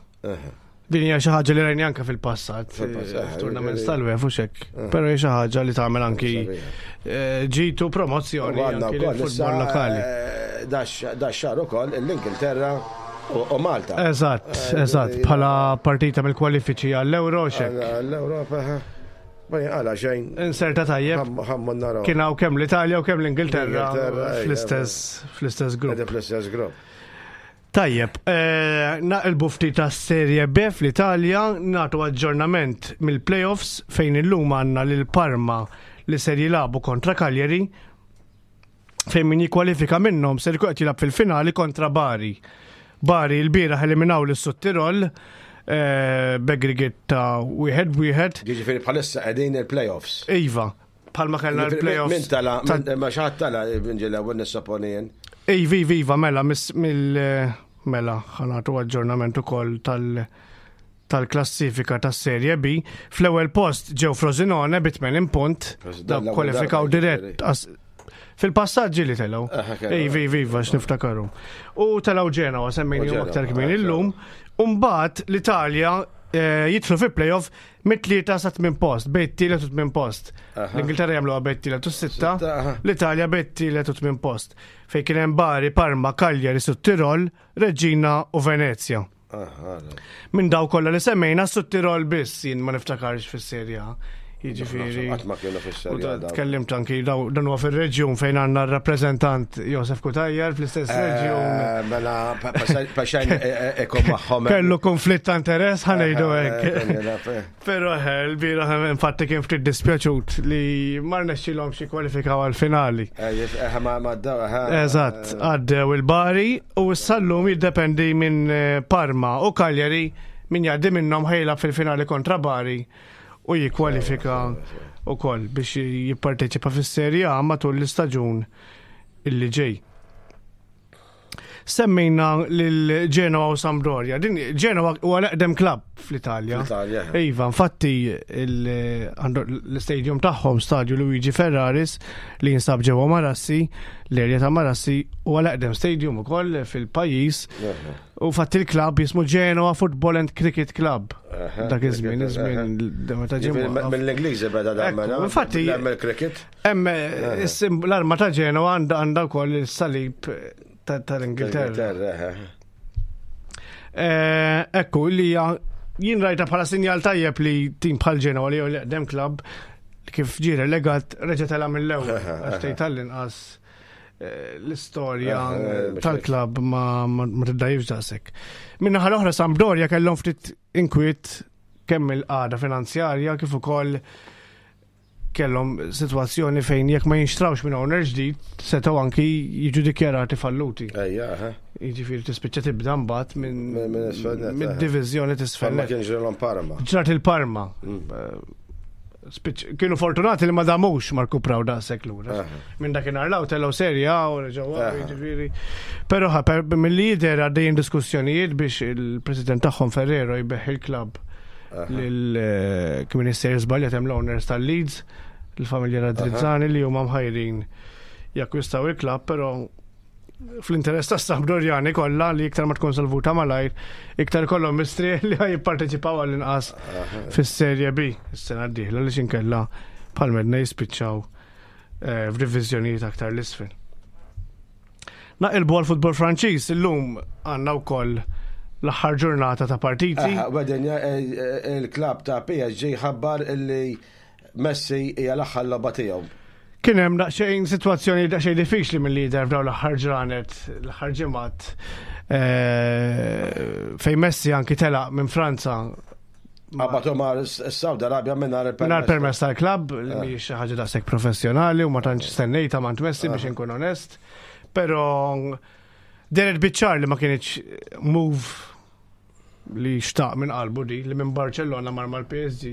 [SPEAKER 3] Din hija xi ħaġa li rajni anke fil-passat,
[SPEAKER 4] Fil-passat,
[SPEAKER 3] f'tournaments tal-UEFA u xek. Però hija xi ħaġa li tagħmel anki ġitu promozzjoni
[SPEAKER 4] U għandna
[SPEAKER 3] anki
[SPEAKER 4] wkoll
[SPEAKER 3] lill-futbol
[SPEAKER 4] issa,
[SPEAKER 3] lokali.
[SPEAKER 4] da xahar ukoll l-Ingilterra u Malta.
[SPEAKER 3] Eżatt, eżatt, bħala partita mill-kwalifiċi għall-Euro xek.
[SPEAKER 4] Għall-Ewropa, ha. Ma jinqala xejn.
[SPEAKER 3] Inserta tajjeb.
[SPEAKER 4] Ħammu naraw.
[SPEAKER 3] Kien hawn kemm l-Italja u kemm l-Ingilterra
[SPEAKER 4] L-Ingilterra, ejja,
[SPEAKER 3] fl-istess grupp.
[SPEAKER 4] Qegħdin fl-istess grupp.
[SPEAKER 3] Tajjeb, naqilbu ftit tas Serie B fl-Italja, nagħtu aġġornament mill-playoffs fejn illum għandna lil Parma li ser jilagħbu kontra Cagliari, fejn min jikkwalifika minnhom ser jkun qed jilgħab fil-finali kontra Bari. Bari l-bieraħ eliminaw lis Sud-Tirol b'aggregate ta' 1-1.
[SPEAKER 4] Jiġifieri bħalissa qegħdin il-playoffs.
[SPEAKER 3] Iva, bħalma kellna
[SPEAKER 4] Jiġifieri
[SPEAKER 3] l-playoffs.
[SPEAKER 4] Min tala, ma xi ħadd tala minn ġil ewwel nissoponi jien.
[SPEAKER 3] Iva, iva, iva, mela, mis, mill, mela, ħa nagħtu aġġornament ukoll tal-klassifika tas-Serie B. Fl-ewwel post ġew Frosinone bi 80 punt,
[SPEAKER 4] Frosinone
[SPEAKER 3] dawk
[SPEAKER 4] l-ewwel
[SPEAKER 3] kwalifikaw
[SPEAKER 4] darba,
[SPEAKER 3] dirett
[SPEAKER 4] jiġifieri.
[SPEAKER 3] Fil-passat ġieli telgħu.
[SPEAKER 4] Ej,
[SPEAKER 3] Iva, iva, x'niftakaru. U telgħu Ġenoa semmejnihom aktar kmieni illum. U mbagħad l-Italja jidħlu fi playoff mit-tlieta sa tmien post, bejn tielet u tmien post. L-Ingilterra jagħmluha bejn tielet u sitta, l-Italja bejn tielet u tmien post. Fejn kien hemm Bari, Parma, Cagliari, Sud Tirol, Reggina u Venezia. Minn daw kollha li semmejna Sud Tirol biss jien ma niftakarx fis-Serje A. Jiġifieri.
[SPEAKER 4] Qatt ma kienu fis-Serje A daw.
[SPEAKER 3] Tkellimt anki dan huwa fir-reġjun fejn għandna r-rappreżentant Josef Cutajar fl-istess reġjun.
[SPEAKER 4] Mela, paxajn ikun magħhom.
[SPEAKER 3] Kellu konflitt ta' interess ħa ngħidu hekk. Però l-bieraħ infatti kien ftit dispjaċut li ma rnexxilhomx jikkwalifikaw għall-finali. Eżatt, għaddew il-Bari u issa llum jiddependi minn Parma u Cagliari min jgħaddi minnhom ħejlab fil-finali kontra Bari u jikkwalifika wkoll biex jipparteċipa fis-Serie A matul l-istaġun illi ġej. Semmejna lil Genoa u Sampdoria. Din Genoa huwa l-eqdem klabb fl-Italja.
[SPEAKER 4] Fl-Italja.
[SPEAKER 3] Iva, infatti l-istadium tagħhom, Stadio Luigi Ferraris, li jinsab ġewwa Marassi, l-erja ta' Marassi, huwa l-eqdem stadium ukoll fil-pajjiż. U fatti l-klabb jismu Genoa Football and Cricket Club. Dak iż-żmien, iż-żmien meta ġie mwaqqaf.
[SPEAKER 4] Mill-Ingliżi beda dan mela.
[SPEAKER 3] Infatti
[SPEAKER 4] mill-cricket.
[SPEAKER 3] Hemm l-arma ta' Genoa għandha wkoll is-salib tal-Ingilterra. Ekku, li hija jien rajta bħala sinjal tajjeb li tim bħal Genoa li l-eqdem klabb kif ġie relegat reġa' tela' mill-ewwel. Għax tgħid tal-inqas l-istorja tal-klabb ma tiddajjifx daqshekk. Min-naħa l-oħra Sampdoria kellhom ftit inkwiet kemm il-qagħda finanzjarja kif ukoll kellhom sitwazzjoni fejn jekk ma jinxtrawx minn owner ġdid setgħu anki jiġu dikjarati falluti.
[SPEAKER 4] Ejja, aha.
[SPEAKER 3] Jiġifieri tispiċċa tibda mbagħad
[SPEAKER 4] Minn isfel net,
[SPEAKER 3] minn
[SPEAKER 4] aha.
[SPEAKER 3] diviżjoni t'isfel
[SPEAKER 4] Parma
[SPEAKER 3] net.
[SPEAKER 4] kien ġrilhom Parma.
[SPEAKER 3] Ġrat il-Parma. Kienu fortunati li ma damux ma rkupraw daqshekk lura. Minn dakinhar law telgħu Serie A u reġgħu waqgħu, jiġifieri. Però mill-li jidher għaddejjin diskussjonijiet biex il-president tagħhom Ferrero jbeħ il-klabb lil kif minister żbaljat hemm l-owners tal-Leeds, il-familja Radrizzani li huma mħajrin jakkwistaw il-klabb, però fl-interess ta' Sampdoriani kollha li iktar ma tkun solvuta malajr, iktar kollhom mistri li ħaj jipparteċipaw għall-inqas fis-Serje B is-sena d-dieħla li xinkella bħal medna jispiċċaw f'diviżjonijiet aktar l-isfel. Naqilbu għal-futbol Franċiż illum għandna wkoll l-aħħar ġurnata ta' partiti.
[SPEAKER 4] Aha, Wedin, il-klab ta' PSG ħabbar illi Messi hija l-aħħar logħba tiegħu.
[SPEAKER 3] Kien hemm daqsxejn sitwazzjoni daqsxejn diffiċli mill-lider f'dawn l-aħħar ġranet, l-aħħar ġimgħat, fejn Messi anki telaq minn Franza.
[SPEAKER 4] Qabatu ma' s-Saudi Arabia mingħajr il-permess.
[SPEAKER 3] Mingħajr permess tal-klabb, li mhijiex xi ħaġa daqshekk professjonali u ma tantx stennejta m'għand Messi biex inkun onest. Però deret biċ-ċar li ma kienx move li xtaq minn qalbu di, li minn Barcellona mar mal-PSG.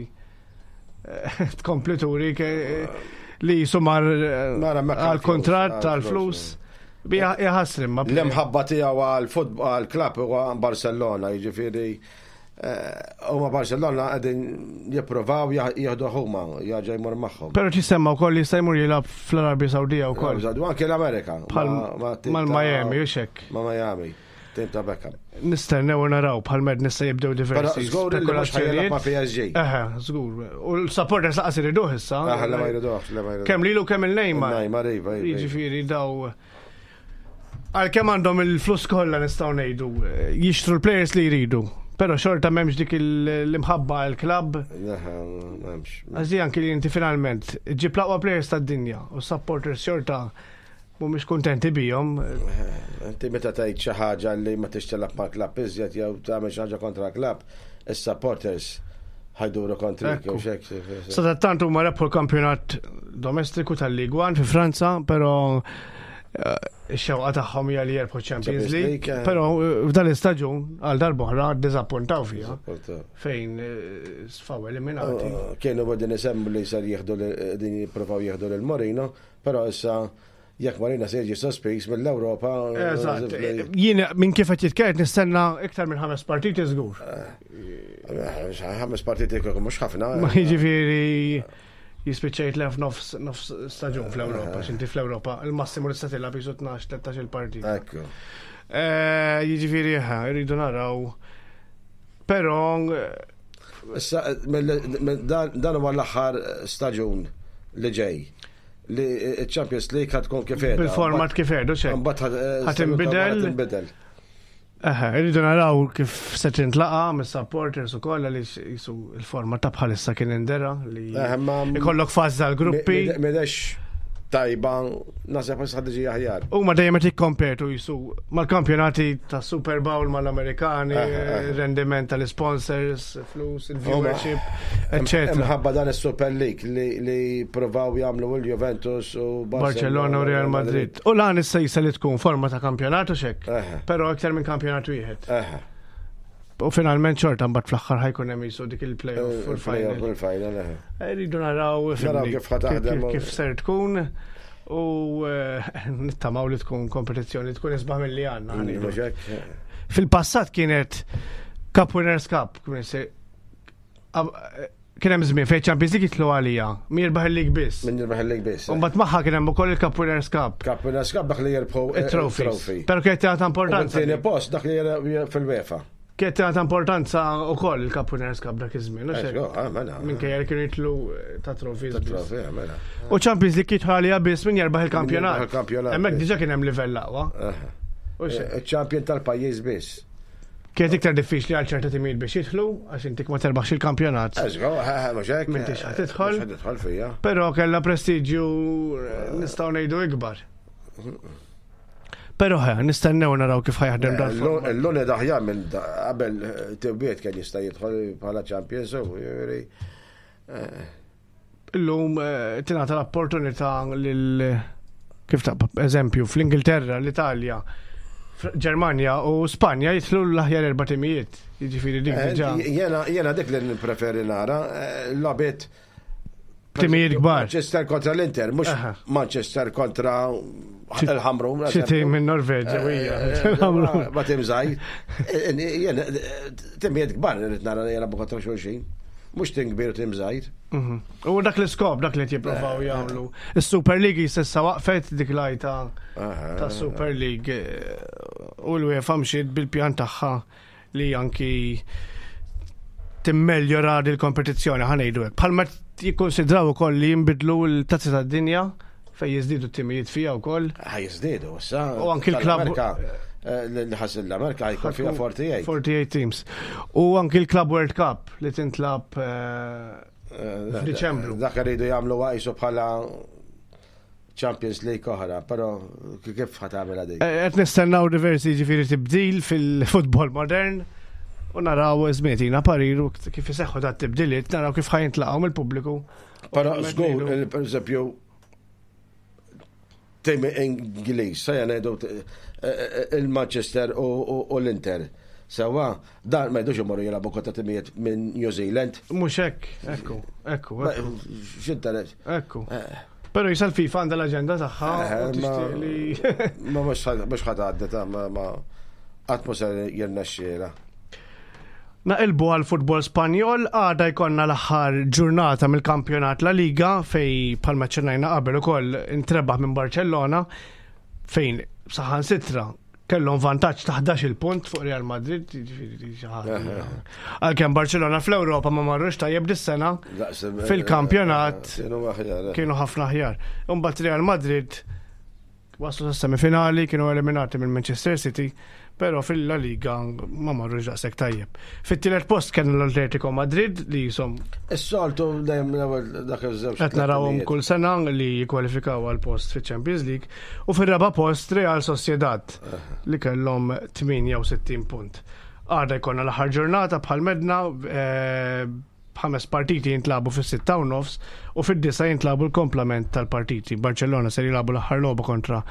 [SPEAKER 3] Tkompli turi li jisumar
[SPEAKER 4] Mara, ma
[SPEAKER 3] għal kontrat
[SPEAKER 4] għal
[SPEAKER 3] tal-flus. Bija jħassrim ma
[SPEAKER 4] L-imħabba tiegħu għal-futbol għal-klabb huwa Barcellona, jiġifieri huma Barcellona qegħdin jippruvaw jieħdu huma, jaġa jmur magħhom.
[SPEAKER 3] Però tisemma wkoll li jista' jmur jilgħab fl-Arabja Sawdija wkoll.
[SPEAKER 4] U anke l-Amerika.
[SPEAKER 3] Bħal mal-Miami, u xek.
[SPEAKER 4] Ma' Miami, tim ta' Beckham.
[SPEAKER 3] Nistennew u naraw bħal med nista' jibdew diversi
[SPEAKER 4] Però żgur li mhux ħajjilgħab ma' PSG.
[SPEAKER 3] Eħe, żgur. U l-supporters laqas iriduh issa.
[SPEAKER 4] Aħ, la ma jriduh, la ma jriduh.
[SPEAKER 3] Kemm lilu kemm il-Neymar.
[SPEAKER 4] Neymar, iva, iva.
[SPEAKER 3] Jiġifieri daw għalkemm għandhom il-flus kollha nistgħu ngħidu, jixtru l-players li jridu. Però xorta m'hemmx dik l-imħabba għall-klabb.
[SPEAKER 4] Eħe, m'hemmx.
[SPEAKER 3] Għax di anki li inti finalment ġib l-aqwa players tad-dinja u supporters xorta mhumiex kuntenti bihom.
[SPEAKER 4] Inti meta tgħid xi ħaġa li ma tix tilgħab mal-klabb iżjed jew tagħmel xi ħaġa kontra l-klabb, is-supporters ħajduru kontrik jew xek.
[SPEAKER 3] Sadattant huma rebħu l-kampjonat domestiku tal-Ligue 1 fi Franza, però ix-xewqa tagħhom hija li jerbħu Champions League, però f'dan l-istaġun għal darb'oħra ddiżappuntaw fiha fejn sfaw eliminati.
[SPEAKER 4] Kienu qegħdin isemmu li ser jieħdu din jippruvaw jieħdu lil Mourinho, però issa jekk Mourinho se jiġi sospiż mill-Ewropa.
[SPEAKER 3] Eżatt. Jien minn kif qed jitkellem nistenna iktar minn 5 partiti żgur.
[SPEAKER 4] 5 partiti kieku mhux ħafna.
[SPEAKER 3] Ma jiġifieri Jispiċċa jitlef nofs nofs staġun fl-Ewropa, x'inti fl-Ewropa il-massimu li tista' tilgħab jisu 12-13 il-partit.
[SPEAKER 4] Ekku.
[SPEAKER 3] Eh, Jiġifieri eħe, irridu naraw. Però
[SPEAKER 4] Issa, dan huwa l-aħħar staġun li ġej li ċ-Champions League ħad tkun kif qiegħda.
[SPEAKER 3] Bil-format kif qiegħdu xejn.
[SPEAKER 4] Mbagħad
[SPEAKER 3] Ħad tinbidel.
[SPEAKER 4] Tinbidel.
[SPEAKER 3] Eħe, irridu naraw kif se tintlaqa mis-supporters ukoll għaliex jisu il-format ta' bħalissa kien indera li
[SPEAKER 4] Eħe, ma-
[SPEAKER 3] ikollok fażi tal-gruppi.
[SPEAKER 4] M'għedex tajba, naħseb issa ħad tiġi aħjar.
[SPEAKER 3] Huma dejjem qed jikkompetu jisu mal-kampjonati ta' Super Bowl mal-Amerikani,
[SPEAKER 4] Eħe, eħe.
[SPEAKER 3] rendiment tal-sponsors, flus, il-viewership, eccetera.
[SPEAKER 4] Imħabba dan is-Super League li, li provaw jagħmlu l-Juventus u
[SPEAKER 3] Barcellona u Real Madrid. U lan issa jisa li tkun forma ta' kampjonat u xek,
[SPEAKER 4] Eħe.
[SPEAKER 3] però iktar minn kampjonat wieħed.
[SPEAKER 4] Eħe.
[SPEAKER 3] U finalment xorta mbagħad fl-aħħar ħajkun hemm jisu dik il-playoff u
[SPEAKER 4] Il-playoff
[SPEAKER 3] l-final.
[SPEAKER 4] u l-final. eħe.
[SPEAKER 3] Rridu naraw
[SPEAKER 4] Naraw
[SPEAKER 3] ifhimni,
[SPEAKER 4] kif ħa taħdem u-
[SPEAKER 3] kif ser tkun u eh, nittamaw li tkun kompetizzjoni tkun isbaħ mill-li għandna. ħa ngħidu.
[SPEAKER 4] Mhux hekk?
[SPEAKER 3] Fil-passat kienet Cup Winners Cup, kien se- ab- kien hemm żmien fejn Champions League jitlu għalija, min jirbaħ il-league biss.
[SPEAKER 4] Min jirbaħ il-league biss.
[SPEAKER 3] U mbagħad magħha kien hemm ukoll il-Cup Winners Cup,
[SPEAKER 4] Cup Winners Cup dak li jirbħu
[SPEAKER 3] it-trophies.
[SPEAKER 4] trophy.
[SPEAKER 3] Però kienet tingħata
[SPEAKER 4] U
[SPEAKER 3] importanza.
[SPEAKER 4] tieni post dak li jirbaħ fil-UEFA.
[SPEAKER 3] Kienet tingħata importanza wkoll il-Cup Winners Cup dak iż-żmien. u xek.
[SPEAKER 4] Eżgo, ah, mela.
[SPEAKER 3] Minkejja li kienu jitlu eh, ta' trophies. biss.
[SPEAKER 4] Trophy, ah, mela.
[SPEAKER 3] U Champions League jidħol għalija biss min jerbaħ il-kampjonat.
[SPEAKER 4] Min jirbaħ il-kampjonat,
[SPEAKER 3] Hemmhekk
[SPEAKER 4] biss.
[SPEAKER 3] diġà kien hemm livell aqwa.
[SPEAKER 4] Eħe.
[SPEAKER 3] U xek.
[SPEAKER 4] Il-champion tal-pajjiż biss.
[SPEAKER 3] Kienet iktar diffiċli għal ċerta timijiet biex jidħlu għax intik ma terbaħx il-kampjonat.
[SPEAKER 4] Eżgo, eh, mhux hekk.
[SPEAKER 3] M'intix ħa tidħol.
[SPEAKER 4] Mhux ħa tidħol fija.
[SPEAKER 3] Però kellha prestiġju eh, nistgħu ngħidu ikbar. Però ħe, nistennew naraw kif ħajaħdem dan. format.
[SPEAKER 4] L-luni daħjar minn qabel tibbiet kien jista' jidħol bħala champions u jiġifieri,
[SPEAKER 3] Illum eh, tingħata l-opportunità lil kif ta' eżempju fl-Ingilterra, l-Italja, Ġermanja u Spanja jidħlu l-aħjar erba' timijiet. Jiġifieri dik diġà.
[SPEAKER 4] Jena jena dik li nippreferi nara, logħbiet
[SPEAKER 3] Timijiet kbar.
[SPEAKER 4] Manchester kontra l-Inter, mhux
[SPEAKER 3] Aha.
[SPEAKER 4] Manchester kontra il-Ħamrun.
[SPEAKER 3] Xi tim minn Norveġa u hija.
[SPEAKER 4] Eh, Ma tim żgħir. Jena timijiet kbar irid nara li jilagħbu kontra xulxin. Mhux tim kbir u tim żgħir.
[SPEAKER 3] U dak l-iskop, dak li qed jippruvaw jagħmlu. Is-Super League s'issa waqfet dik lajta ta' Super League u l-UEFA mxiet bil-pjan tagħha li anki timmeljora dil kompetizzjoni ħa ngħidu hekk. Bħalma jikkonsidraw ukoll li jinbidlu l-tazzi tad-dinja fejn jiżdiedu t-timijiet fiha wkoll.
[SPEAKER 4] Ħaj jiżdiedu issa.
[SPEAKER 3] U anki l-klabb-
[SPEAKER 4] Tal-Amerika, li ħassil l-Amerika jkun fiha 48.
[SPEAKER 3] 48 teams. U anki l-Club World Cup li tintlab f'Diċembru.
[SPEAKER 4] Dak rridu jagħmlu qisu bħala Champions League oħra, però kif ħa tagħmilha dik?
[SPEAKER 3] Qed nistennaw diversi ġifieri tibdil fil-futbol modern u naraw żmietina parir u kif iseħħu dat tibdiliet, naraw kif ħajintlaqgħu mill-pubbliku.
[SPEAKER 4] Però
[SPEAKER 3] U
[SPEAKER 4] żgur,
[SPEAKER 3] ngħidu-
[SPEAKER 4] per eżempju, tim Ingliż, sa ngħidu il-Manchester u l-Inter. Sewa, dan ma jdux imorru jilagħbu kontra timijiet minn New Zealand.
[SPEAKER 3] Mhux hekk, ekku, ekku,
[SPEAKER 4] Ma-
[SPEAKER 3] ekku,
[SPEAKER 4] X'interess?
[SPEAKER 3] ekku. Però jisa l-FIFA għandha l-aġenda tagħha
[SPEAKER 4] Eh,
[SPEAKER 3] u tixtieq li
[SPEAKER 4] Ma mhux ħadd għaddi ta' ma ma qatt mhux se jirnexxiela.
[SPEAKER 3] Naqilbu għal futbol Spanjol, għada jkonna l-aħħar ġurnata mill-kampjonat La Liga fej palma ċennajna qabel ukoll intrebaħ minn Barcellona fejn saħan sitra kellhom vantaġġ ta' 11 punt fuq Real Madrid, jiġifieri xi ħaġa. Għalkemm Barcellona fl-Ewropa ma marrux tajjeb dis-sena Fil-kampjonat
[SPEAKER 4] Kienu aħjar.
[SPEAKER 3] kienu ħafna aħjar. Imbagħad Real Madrid waslu sas-semifinali, kienu eliminati minn Manchester City, però fil-La Liga ma marrux daqshekk tajjeb. Fit-tielet post kien l-Atletico Madrid li jisom
[SPEAKER 4] Is-soltu dejjem l-ewwel dak iż-żewġ.
[SPEAKER 3] qed narawhom kull sena li jikkwalifikaw għal post fiċ-Champions League u fir-raba post Real Sociedad li kellhom 68 punt. Għada jkollna l-aħħar ġurnata bħal medna b'ħames partiti jintlabu fis-6:30 u fid-9 jintlabu l-komplement tal-partiti. Barcellona ser jilagħbu l-aħħar logħba kontra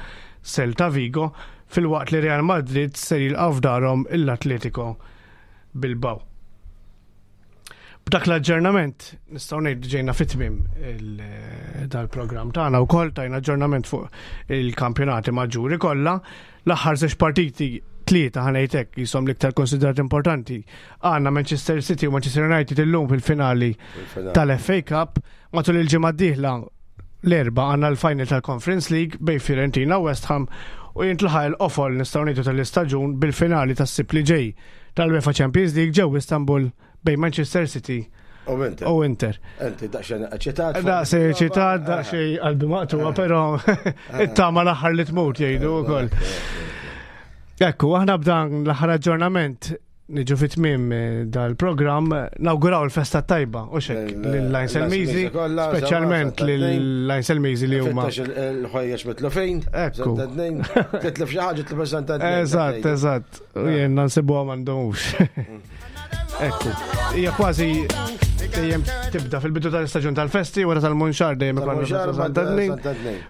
[SPEAKER 3] Celta Vigo filwaqt li Real Madrid ser jilqgħu f'darhom l-Atletico Bilbao. B'dak l-aġġornament nistgħu ngħidu ġejna fit-tmiem dal-programm tagħna wkoll tajna aġġornament fuq il-kampjonati maġġuri kollha. L-aħħar żewġ partiti Tlieta ħa ngħid hekk jisom l-iktar konsiderat importanti. Għandna Manchester City u Manchester United illum fil-finali tal-FA Cup matul il-ġimgħa d-dieħla l-Erbgħa għandna l-final tal-Conference League bejn Fiorentina u West Ham u jintlaħaq il-qofol nistgħu ngħidu tal-istaġun bil-finali tas-Sibt li ġej tal-UEFA Champions League ġew Istanbul bejn Manchester City
[SPEAKER 4] U Inter.
[SPEAKER 3] U Inter.
[SPEAKER 4] Inti daqsxejn eċitat.
[SPEAKER 3] Daqsxejn eċitat, daqsxejn qalbi maqtuwa, però it-tama l-aħħar li tmut jgħidu wkoll. Ekku, aħna b'dan l-aħħar aġġornament niġu fit tmiem eh, dal-programm nawguraw il-festa tajba u xek lil-Lajn Selmizi, speċjalment lil-Lajn Selmizi li huma.
[SPEAKER 4] Il-ħwejjeġ mitlufin.
[SPEAKER 3] Ekku.
[SPEAKER 4] Titlef xi ħaġa titlef santa.
[SPEAKER 3] Eżatt, eżatt. U jien nsibuha m'għandhomx. Ekku. Hija kważi dejjem tibda fil-bidu tal-istaġun tal-festi wara tal-Munxar dejjem ikollna Santa Tnejn.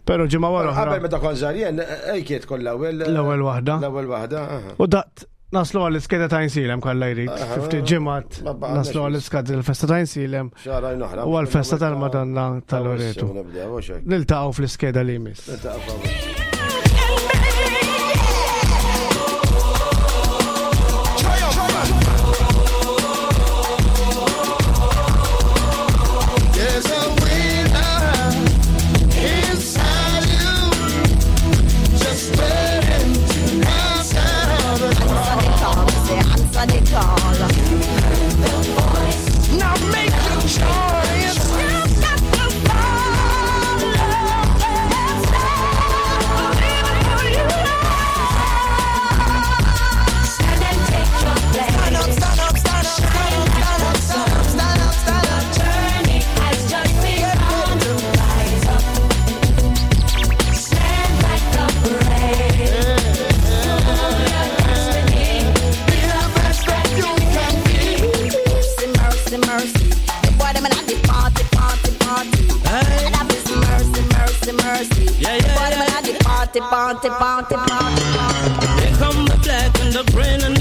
[SPEAKER 3] Però ġimgħa wara.
[SPEAKER 4] Qabel meta kont żgħar jien ejkiet kollha l-ewwel.
[SPEAKER 3] L-ewwel waħda.
[SPEAKER 4] L-ewwel waħda.
[SPEAKER 3] U daqt naslu għall-iskeda ta' Insilem kollha jrid. Ftit ġimgħat naslu għall-iskeda tal-festa ta' Insilem. U għall-festa tal-Madonna tal-Loreto. Niltaqgħu fl-iskeda li jmiss.
[SPEAKER 5] Party, party, party, party.
[SPEAKER 7] Here come the black and the green and